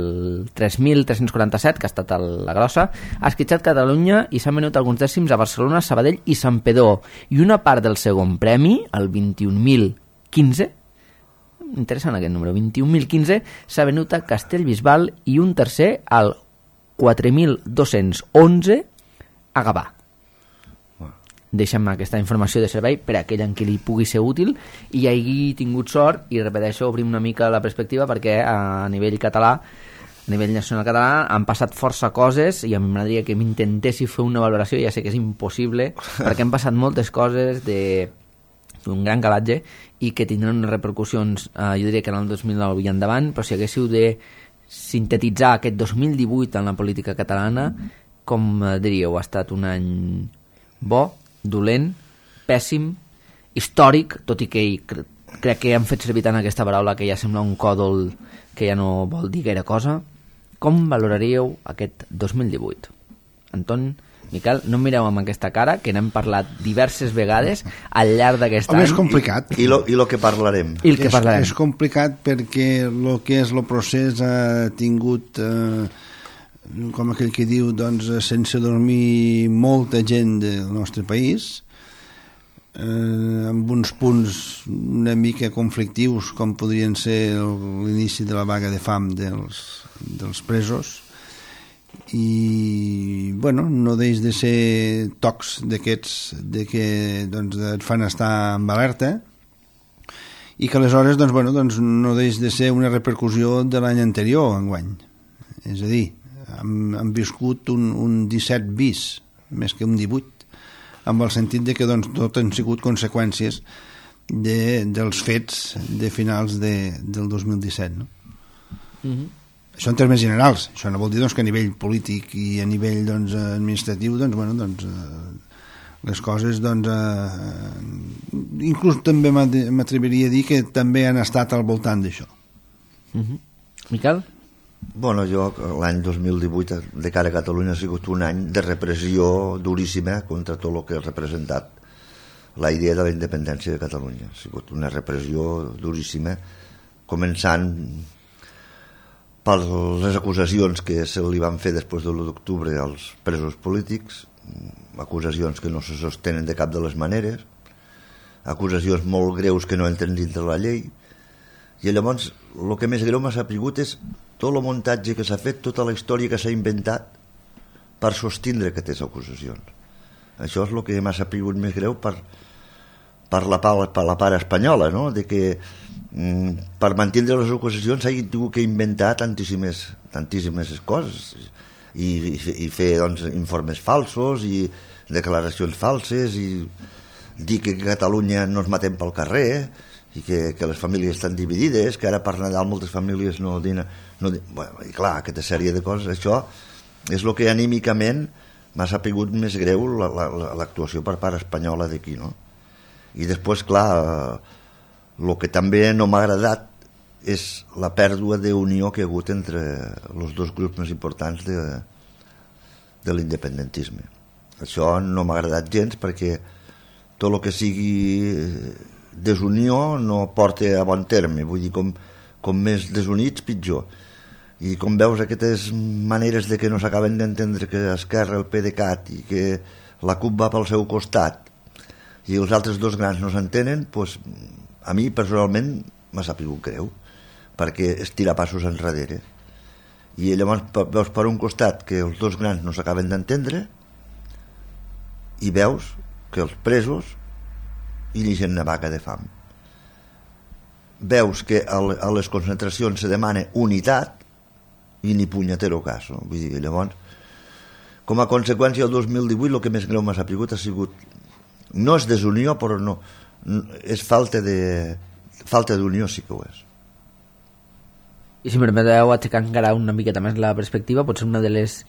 tres mil tres-cents quaranta-set, que ha estat la grossa, ha esquitxat Catalunya i s'han venut alguns dècims a Barcelona, Sabadell i Santpedor. I una part del segon premi, el vint-i-un mil quinze, interessant aquest número, vint-i-un mil quinze, s'ha venut a Castellbisbal i un tercer al quatre mil dos-cents onze a Gavà. Deixem aquesta informació de servei per a aquell en qui li pugui ser útil i hagi tingut sort, i repeteixo, obrim una mica la perspectiva, perquè a nivell català, a nivell nacional català, han passat força coses i a mi m'agradaria que m'intentessi fer una valoració, ja sé que és impossible, perquè han passat moltes coses de d'un gran calatge i que tindran unes repercussions, eh, jo diria que en el dos mil nou i endavant, però si haguéssiu de sintetitzar aquest dos mil divuit en la política catalana, com diríeu? Ha estat un any bo, dolent, pèssim, històric, tot i que cre crec que han fet servir tant aquesta paraula que ja sembla un còdol que ja no vol dir gaire cosa. Com valoraríeu aquest dos mil divuit? Anton, Miquel, no em mireu amb aquesta cara, que n'hem parlat diverses vegades al llarg d'aquest any. És complicat. I, i, lo, i lo que parlarem. I el que és, parlarem. És complicat perquè el que és el procés ha tingut... Eh, com aquell que diu, doncs, sense dormir molta gent del nostre país, eh, amb uns punts una mica conflictius, com podrien ser l'inici de la vaga de fam dels, dels presos, i, bueno, no deix de ser tocs d'aquests de que, doncs, et fan estar en alerta, i que aleshores, doncs, bueno, doncs, no deix de ser una repercussió de l'any anterior, enguany. És a dir, hem, hem viscut un, un disset bis, més que un divuit, amb el sentit de que doncs, tot han sigut conseqüències de, dels fets de finals de, del dos mil disset. No? Mm-hmm. Això en termes generals. Això no vol dir doncs, que a nivell polític i a nivell doncs, administratiu doncs, bueno, doncs, eh, les coses doncs, eh, inclús també m'atreviria a dir que també han estat al voltant d'això. Mm-hmm. Miquel? Bueno, jo l'any dos mil divuit de cara a Catalunya ha sigut un any de repressió duríssima contra tot el que ha representat la idea de la independència de Catalunya. Ha sigut una repressió duríssima, començant per les acusacions que se li van fer després de l'u d'octubre als presos polítics, acusacions que no se sostenen de cap de les maneres, acusacions molt greus que no entren dintre la llei, i llavors el que més greu m'ha sapigut és tot el muntatge que s'ha fet, tota la història que s'ha inventat per sostindre aquestes acusacions. Això és el que m'ha sapigut més greu per, per, la, per la part espanyola, no? De que mm, per mantindre les acusacions s'hagin tingut que inventar tantíssimes, tantíssimes coses i, i, i fer doncs, informes falsos i declaracions falses i dir que a Catalunya no ens matem pel carrer, i que, que les famílies estan dividides, que ara per Nadal moltes famílies no dinen... No, bueno, i clar, aquesta sèrie de coses, això és el que anímicament m'ha sapigut més greu l'actuació per part espanyola d'aquí, no? I després, clar, el que també no m'ha agradat és la pèrdua d'unió que hi ha hagut entre els dos grups més importants de, de l'independentisme. Això no m'ha agradat gens perquè tot el que sigui desunió no porta a bon terme, vull dir, com, com més desunits pitjor, i com veus aquestes maneres de que no s'acaben d'entendre que Esquerra, el PDeCAT i que la CUP va pel seu costat i els altres dos grans no s'entenen, doncs a mi personalment m'ha sapigut greu perquè és tirar passos enrere, i llavors veus per un costat que els dos grans no s'acaben d'entendre i veus que els presos inicien una vaga de fam. Veus que a les concentracions se demana unitat i ni punyetero cas, no? Vull dir, llavors, com a conseqüència del dos mil divuit el que més greu m'ha sapigut ha sigut, no és desunió, però no, és falta de falta d'unió, sí que ho és. I si em permeteu aixecar encara una miqueta més la perspectiva, potser una de les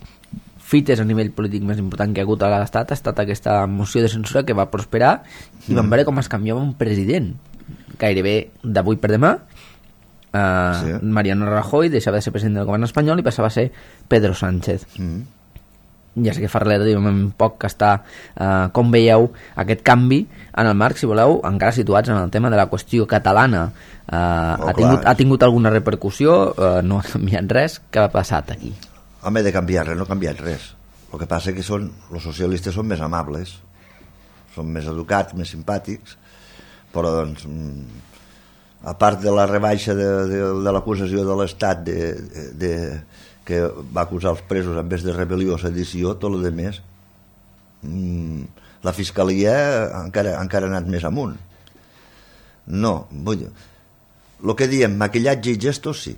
fites a nivell polític més important que ha hagut a l'Estat ha estat aquesta moció de censura que va prosperar i vam veure com es canviava un president gairebé d'avui per demà. uh, sí. Mariano Rajoy deixava de ser president del govern espanyol i passava a ser Pedro Sánchez. mm. Ja sé que fa relativament poc que està. uh, com veieu aquest canvi en el marc, si voleu, encara situats en el tema de la qüestió catalana? uh, oh, ha, tingut, ha tingut alguna repercussió? Uh, no ha canviat res? Què ha passat aquí? Home, de canviar res, no ha canviat res. El que passa és que són, els socialistes són més amables, són més educats, més simpàtics, però doncs, a part de la rebaixa de, de, de l'acusació de l'Estat de, de, que va acusar els presos en vez de rebel·lió o sedició, tot el de més la fiscalia encara, encara ha anat més amunt. No, vull dir, el que diem, maquillatge i gestos, sí.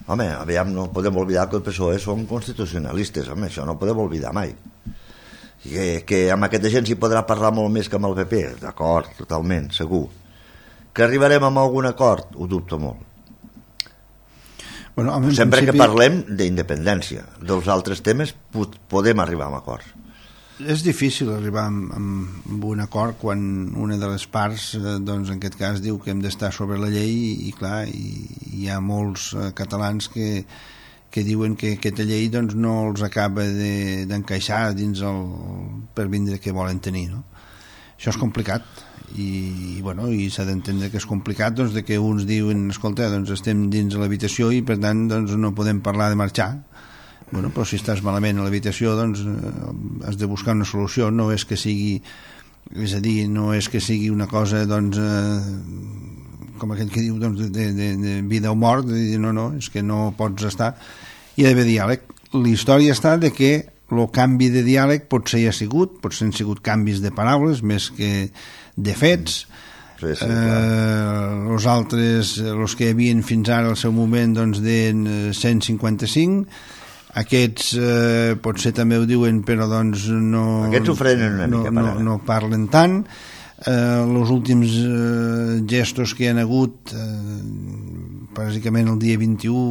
Home, aviam, no podem oblidar que el P S O E són constitucionalistes, home, això no podem oblidar mai. Que, que amb aquesta gent s'hi podrà parlar molt més que amb el P P, d'acord, totalment, segur. Que arribarem a algun acord, ho dubto molt. Bueno, sempre principi... que parlem d'independència, dels altres temes podem arribar a acords. És difícil arribar amb, amb un acord quan una de les parts, doncs en aquest cas, diu que hem d'estar sobre la llei i, i clar, i, hi ha molts eh, catalans que, que diuen que aquesta llei doncs, no els acaba de, d'encaixar dins el per vindre que volen tenir, no? Això és complicat i, i, bueno, i s'ha d'entendre que és complicat doncs, de que uns diuen, escolta, doncs estem dins de l'habitació i per tant doncs, no podem parlar de marxar. Bueno, però si estàs malament a l'habitació doncs has de buscar una solució, no és que sigui, és a dir, no és que sigui una cosa doncs eh, com aquell que diu doncs, de, de, de vida o mort, de dir no, no, és que no pots estar, hi ha d'haver diàleg. La història està de que el canvi de diàleg potser hi ha sigut, potser han sigut canvis de paraules més que de fets. Sí, sí, eh, els altres, els que hi havien fins ara al seu moment doncs deien cent cinquanta-cinc, aquests eh, potser també ho diuen però doncs no, aquests ho frenen una no, mica no, no parlen tant. Eh, els últims eh, gestos que hi ha hagut eh, bàsicament el dia vint-i-u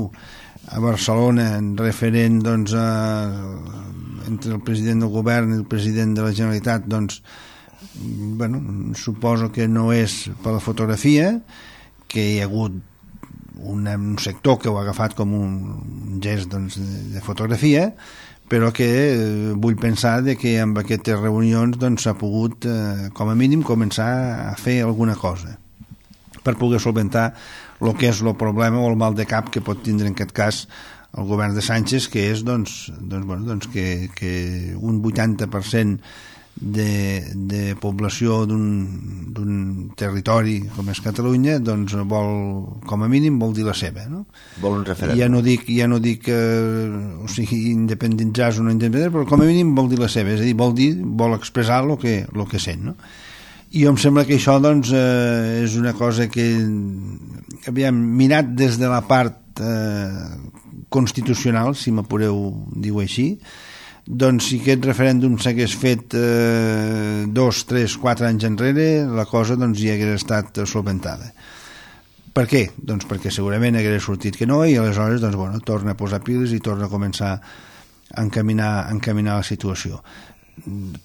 a Barcelona en referent doncs, a, entre el president del govern i el president de la Generalitat doncs, bueno, suposo que no és per la fotografia, que hi ha hagut un, un sector que ho ha agafat com un gest doncs, de, de fotografia, però que eh, vull pensar de que amb aquestes reunions doncs, s'ha pogut eh, com a mínim començar a fer alguna cosa per poder solventar el que és el problema o el mal de cap que pot tindre en aquest cas el govern de Sánchez, que és doncs, doncs, bueno, doncs que, que un vuitanta per cent de, de població d'un, d'un territori com és Catalunya doncs vol, com a mínim vol dir la seva, no? Vol un referèndum. Ja no dic, ja no dic eh, o sigui, independitzar-se o no independitzar, però com a mínim vol dir la seva, és a dir, vol dir, vol expressar el que, el que sent, no? I em sembla que això doncs eh, és una cosa que aviam, mirat des de la part eh, constitucional, si m'apureu dir-ho així, doncs si aquest referèndum s'hagués fet eh, dos, tres, quatre anys enrere, la cosa doncs hi hagués estat solventada. Per què? Doncs perquè segurament hagués sortit que no i aleshores doncs, bueno, torna a posar piles i torna a començar a encaminar, a encaminar la situació.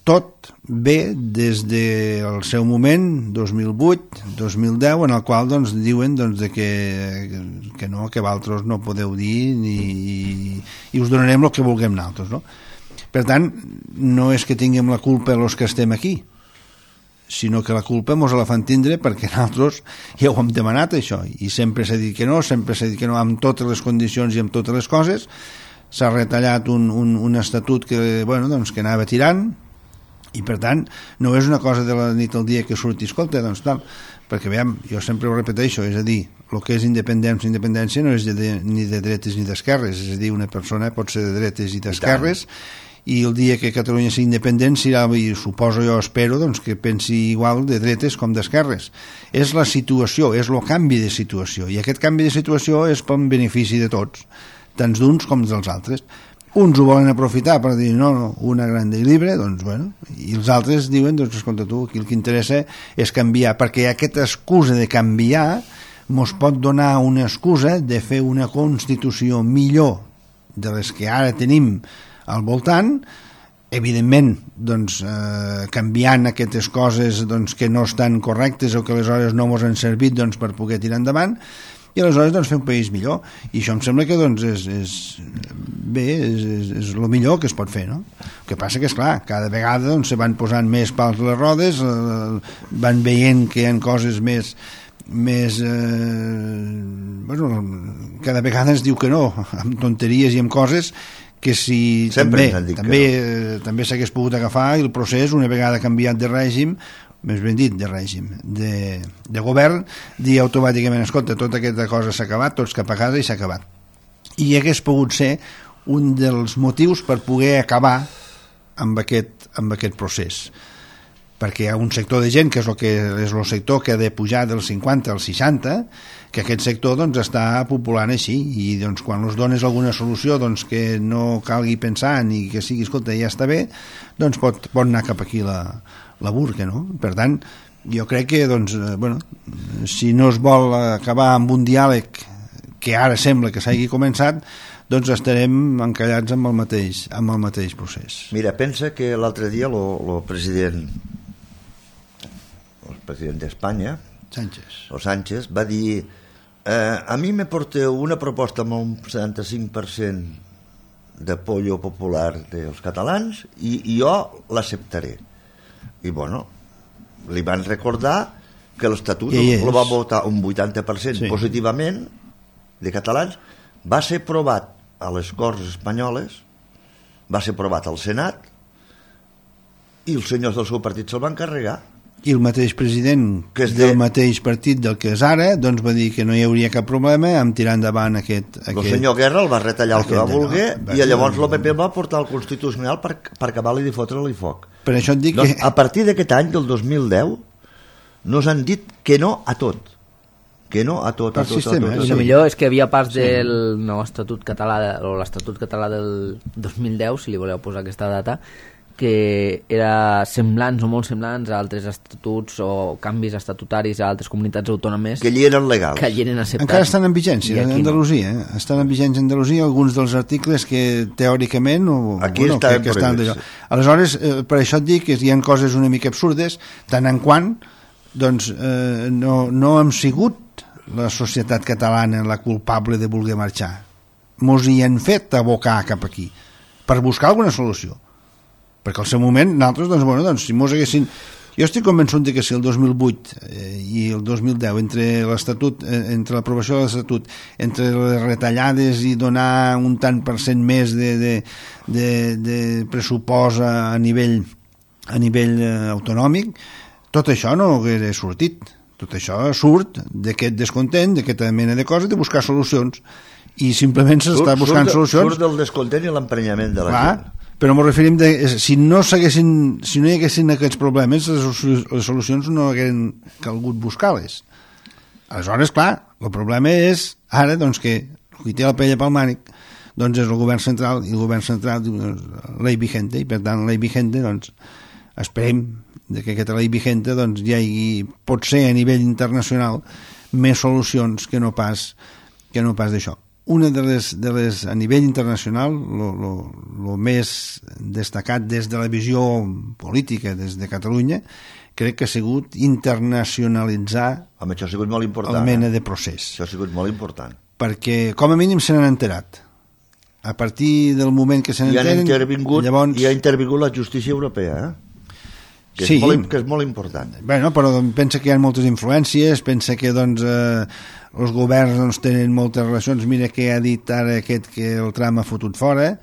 Tot ve des del seu moment, dos mil vuit, dos mil deu, en el qual doncs, diuen doncs, de que, que no, que vosaltres no podeu dir ni, i, i us donarem el que vulguem nosaltres, no? Per tant, no és que tinguem la culpa els que estem aquí, sinó que la culpa mos la fan tindre perquè nosaltres ja ho hem demanat, això, i sempre s'ha dit que no, sempre s'ha dit que no, amb totes les condicions i amb totes les coses. S'ha retallat un, un, un estatut que, bueno, doncs, que anava tirant, i per tant no és una cosa de la nit al dia que surti, escolta, doncs tal, perquè veiem, jo sempre ho repeteixo, és a dir, el que és independència, independència no és de, ni de dretes ni d'esquerres, és a dir, una persona pot ser de dretes i d'esquerres, i el dia que Catalunya sigui independent serà, i suposo jo, espero, doncs, que pensi igual de dretes com d'esquerres. És la situació, és el canvi de situació, i aquest canvi de situació és per benefici de tots, tant d'uns com dels altres. Uns ho volen aprofitar per dir, no, no, una gran i libre, doncs, bueno, i els altres diuen, doncs, escolta tu, aquí el que interessa és canviar, perquè aquesta excusa de canviar mos pot donar una excusa de fer una Constitució millor de les que ara tenim al voltant, evidentment doncs, eh, canviant aquestes coses doncs, que no estan correctes o que aleshores no ens han servit doncs, per poder tirar endavant, i aleshores doncs, fer un país millor, i això em sembla que doncs, és, és, bé, és, és, és el millor que es pot fer, no? El que passa que és clar, cada vegada doncs, se van posant més pals a les rodes, eh, van veient que hi ha coses més més eh, bueno, cada vegada es diu que no, amb tonteries i amb coses que si sempre també, també, no. també s'hagués pogut agafar el procés una vegada canviat de règim, més ben dit de règim, de, de govern, dir automàticament, escolta, tota aquesta cosa s'ha acabat, tots cap a casa i s'ha acabat. I hagués pogut ser un dels motius per poder acabar amb aquest, amb aquest procés, perquè hi ha un sector de gent que és el que és el sector que ha de pujar del cinquanta al seixanta, que aquest sector doncs, està populant així, i doncs, quan els dones alguna solució doncs, que no calgui pensar ni que sigui, escolta, ja està bé, doncs pot, pot anar cap aquí la, la burca, no? Per tant, jo crec que doncs, bueno, si no es vol acabar amb un diàleg que ara sembla que s'hagi començat, doncs estarem encallats amb el mateix, amb el mateix procés. Mira, pensa que l'altre dia el president el president d'Espanya, Sánchez. o Sánchez, va dir eh, a mi me porteu una proposta amb un setanta-cinc per cent d'apoyo popular dels catalans i, i jo l'acceptaré. I bueno, li van recordar que l'Estatut el va votar un vuitanta per cent sí. positivament de catalans, va ser aprovat a les Corts Espanyoles, va ser aprovat al Senat i els senyors del seu partit se'l van carregar. I el mateix president que és de... del mateix partit del que és ara doncs va dir que no hi hauria cap problema amb tirar endavant aquest... aquest... El senyor Guerra el va retallar el que va voler no, i llavors l'O P P el va portar al Constitucional per, per acabar-li de fotre-li foc. Per això et dic doncs, que... A partir d'aquest any, del dos mil deu, nos han dit que no a tot. Que no a tot, a tot, sistema, a tot. I el millor és que havia pas del nou Estatut català, o l'Estatut català del dos mil deu, si li voleu posar aquesta data, que era semblants o molt semblants a altres estatuts o canvis estatutaris a altres comunitats autònomes que allí eren legals, que allí eren acceptats. Encara estan en vigència a Andalusia, no. eh? Estan en vigència a Andalusia alguns dels articles que teòricament o, aquí bueno, estan, que, que estan d'allò. Aleshores, eh, per això et dic que hi ha coses una mica absurdes, tant en quant doncs, eh, no, no hem sigut la societat catalana la culpable de voler marxar. Mos hi han fet abocar cap aquí per buscar alguna solució, perquè al seu moment nosaltres, doncs, bueno, doncs, si mos haguessin... Jo estic convençut de que si el dos mil vuit eh, i el dos mil deu, entre l'Estatut, eh, entre l'aprovació de l'Estatut, entre les retallades i donar un tant per cent més de, de, de, de pressupost a nivell, a nivell eh, autonòmic, tot això no hauria sortit. Tot això surt d'aquest descontent, d'aquesta mena de coses, de buscar solucions. I simplement s'està buscant surt, solucions. Surt del descontent i l'emprenyament de la Clar, gent. Però m'ho referim de, si no s'haguessin, si no hi haguessin aquests problemes, les, les solucions no haguessin calgut buscar-les. Aleshores, clar, el problema és ara doncs, que qui té la pella pel mànic doncs és el govern central, i el govern central diu ley vigente, i per tant ley vigente, doncs esperem de que aquesta ley vigente doncs, hi hagi, pot ser a nivell internacional, més solucions que no pas, que no pas d'això. Una de les, de les a nivell internacional, el més destacat des de la visió política des de Catalunya, crec que ha sigut internacionalitzar Home, això ha sigut molt important, la mena eh? de procés. Això ha sigut molt important. Perquè com a mínim se n'han enterat. A partir del moment que se n'enteren... Llavors... I ha intervingut la justícia europea, eh? Que, sí. és molt, que és molt important. Bueno, però pensa que hi ha moltes influències, pensa que doncs, eh, els governs doncs, tenen moltes relacions. Mira que ha dit ara aquest que el Trump ha fotut fora,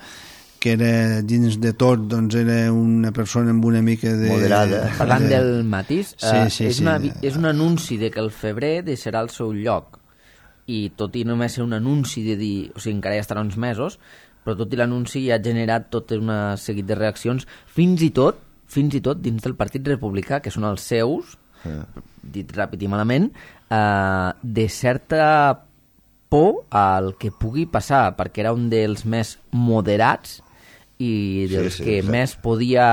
que era dins de tot doncs, era una persona amb una mica de... Moderada. Parlant del matís, sí, eh, sí, és, sí. Una, és un anunci de que el febrer deixarà el seu lloc, i tot i només ser un anunci de dir, o sigui, encara ja estarà uns mesos, però tot i l'anunci ja ha generat tot un seguit de reaccions, fins i tot fins i tot dins del Partit Republicà, que són els seus, sí. dit ràpid i malament, eh, de certa por al que pugui passar, perquè era un dels més moderats i dels sí, sí, que sí. més podia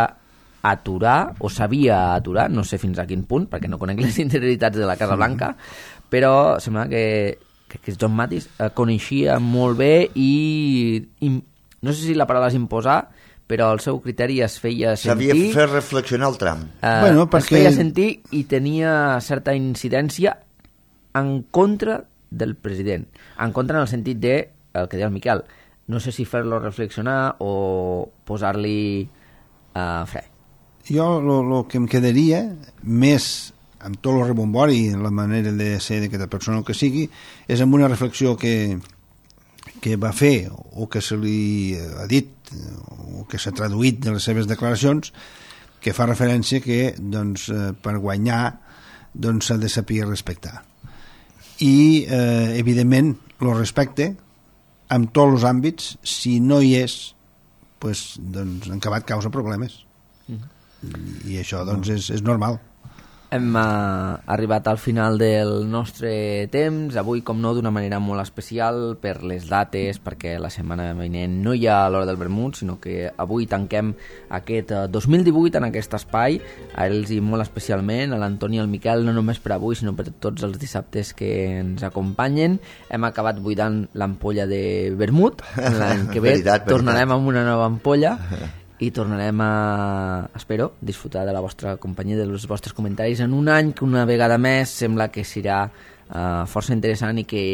aturar, o sabia aturar, no sé fins a quin punt, perquè no conec les interioritats de la Casa Blanca, però sembla que, que, que John Mattis eh, coneixia molt bé i, i no sé si la paraula és imposar, però el seu criteri es feia sentir... Sabia fer reflexionar el Trump. Eh, bueno, perquè... Es feia sentir i tenia certa incidència en contra del president. En contra en el sentit de, el que deia el Miquel, no sé si fer-lo reflexionar o posar-li uh, fre. Jo el que em quedaria més amb tot el rebombori i la manera de ser d'aquesta persona o que sigui, és amb una reflexió que, que va fer o que se li ha dit o que s'ha traduït de les seves declaracions, que fa referència que doncs, per guanyar doncs, s'ha de saber respectar. I, eh, evidentment, el respecte en tots els àmbits, si no hi és, pues, doncs, en acabat causa problemes. Mm. I això doncs, és, és normal. Hem uh, arribat al final del nostre temps, avui com no d'una manera molt especial per les dates, perquè la setmana vinent no hi ha l'Hora del Vermut, sinó que avui tanquem aquest uh, dos mil divuit en aquest espai, a ells i molt especialment, a l'Antoni i al Miquel, no només per avui, sinó per tots els dissabtes que ens acompanyen. Hem acabat buidant l'ampolla de vermut, l'any que ve veritat, tornarem veritat. amb una nova ampolla, i tornarem a, espero, disfrutar de la vostra companyia, dels vostres comentaris en un any que una vegada més sembla que serà uh, força interessant i que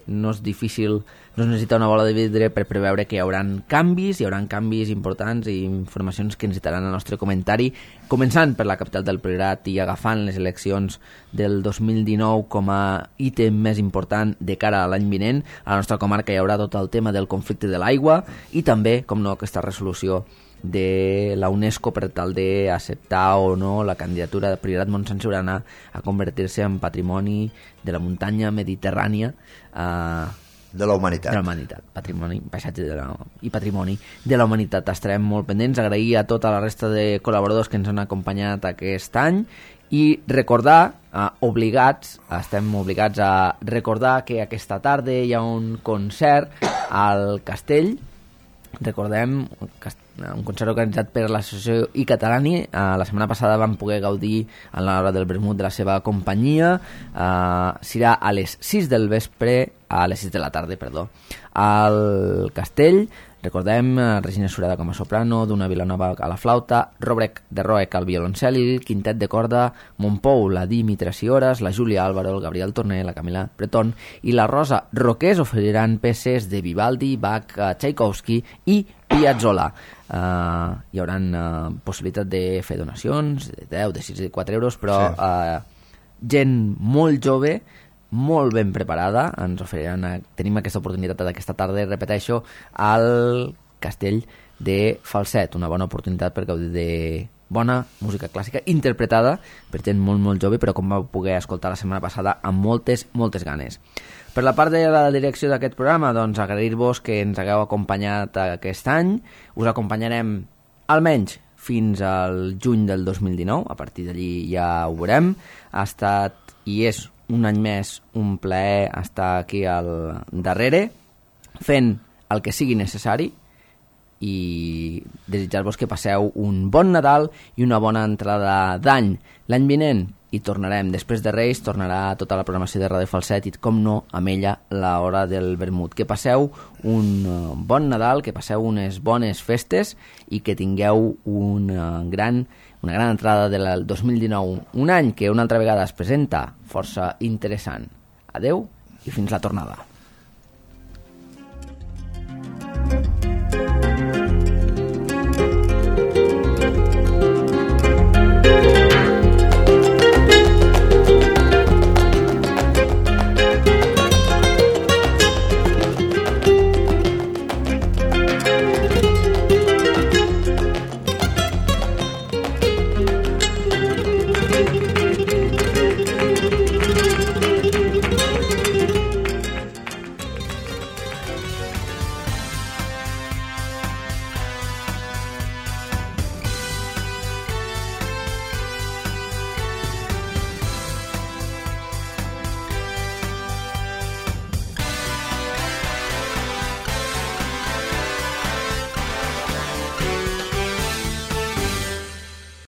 no és difícil, no es necessita una bola de vidre per preveure que hi haurà canvis, hi haurà canvis importants i informacions que necessitaran el nostre comentari, començant per la capital del Priorat i agafant les eleccions del dos mil dinou com a ítem més important de cara a l'any vinent. A la nostra comarca hi haurà tot el tema del conflicte de l'aigua i també, com no, aquesta resolució de la UNESCO per tal d'acceptar o no la candidatura de Priorat Montsant Siurana a convertir-se en patrimoni de la muntanya mediterrània eh, de la humanitat, de la humanitat patrimoni, paisatge de la, i patrimoni de la humanitat. Estarem molt pendents, agrair a tota la resta de col·laboradors que ens han acompanyat aquest any i recordar, eh, obligats estem obligats a recordar que aquesta tarda hi ha un concert al Castell. Recordem un concert organitzat per l'associació I Catalani. Uh, la setmana passada vam poder gaudir a l'hora del vermut de la seva companyia. Uh, serà a les sis del vespre, a les sis de la tarda, perdó, al Castell. Recordem uh, Regina Sureda com a soprano, Duna Vilanova a la flauta, Robrec de Roec al violoncel, el quintet de corda, Montpou, la Dimitra Ciores, la Júlia Álvaro, el Gabriel Torner, la Camila Breton i la Rosa Roqués oferiran peces de Vivaldi, Bach, uh, Tchaikovsky i Piazzolla. Uh, hi haurà uh, possibilitat de fer donacions de deu, de sis, de quatre euros, però sí. uh, gent molt jove, molt ben preparada, ens oferiran, tenim aquesta oportunitat d'aquesta tarda, repeteixo, al Castell de Falset, una bona oportunitat per gaudir de bona música clàssica interpretada per gent molt molt jove, però com vau poder escoltar la setmana passada amb moltes, moltes ganes. Per la part de la direcció d'aquest programa, doncs agrair-vos que ens hagueu acompanyat aquest any. Us acompanyarem almenys fins al juny del dos mil dinou, a partir d'allí ja ho veurem. Ha estat i és un any més un plaer estar aquí al darrere, fent el que sigui necessari, i desitjar-vos que passeu un bon Nadal i una bona entrada d'any. L'any vinent hi tornarem, després de Reis tornarà tota la programació de Ràdio Falset i, com no, amb ella l'hora del vermut. Que passeu un bon Nadal, que passeu unes bones festes i que tingueu una gran, una gran entrada del dos mil dinou, un any que una altra vegada es presenta força interessant. Adeu i fins la tornada.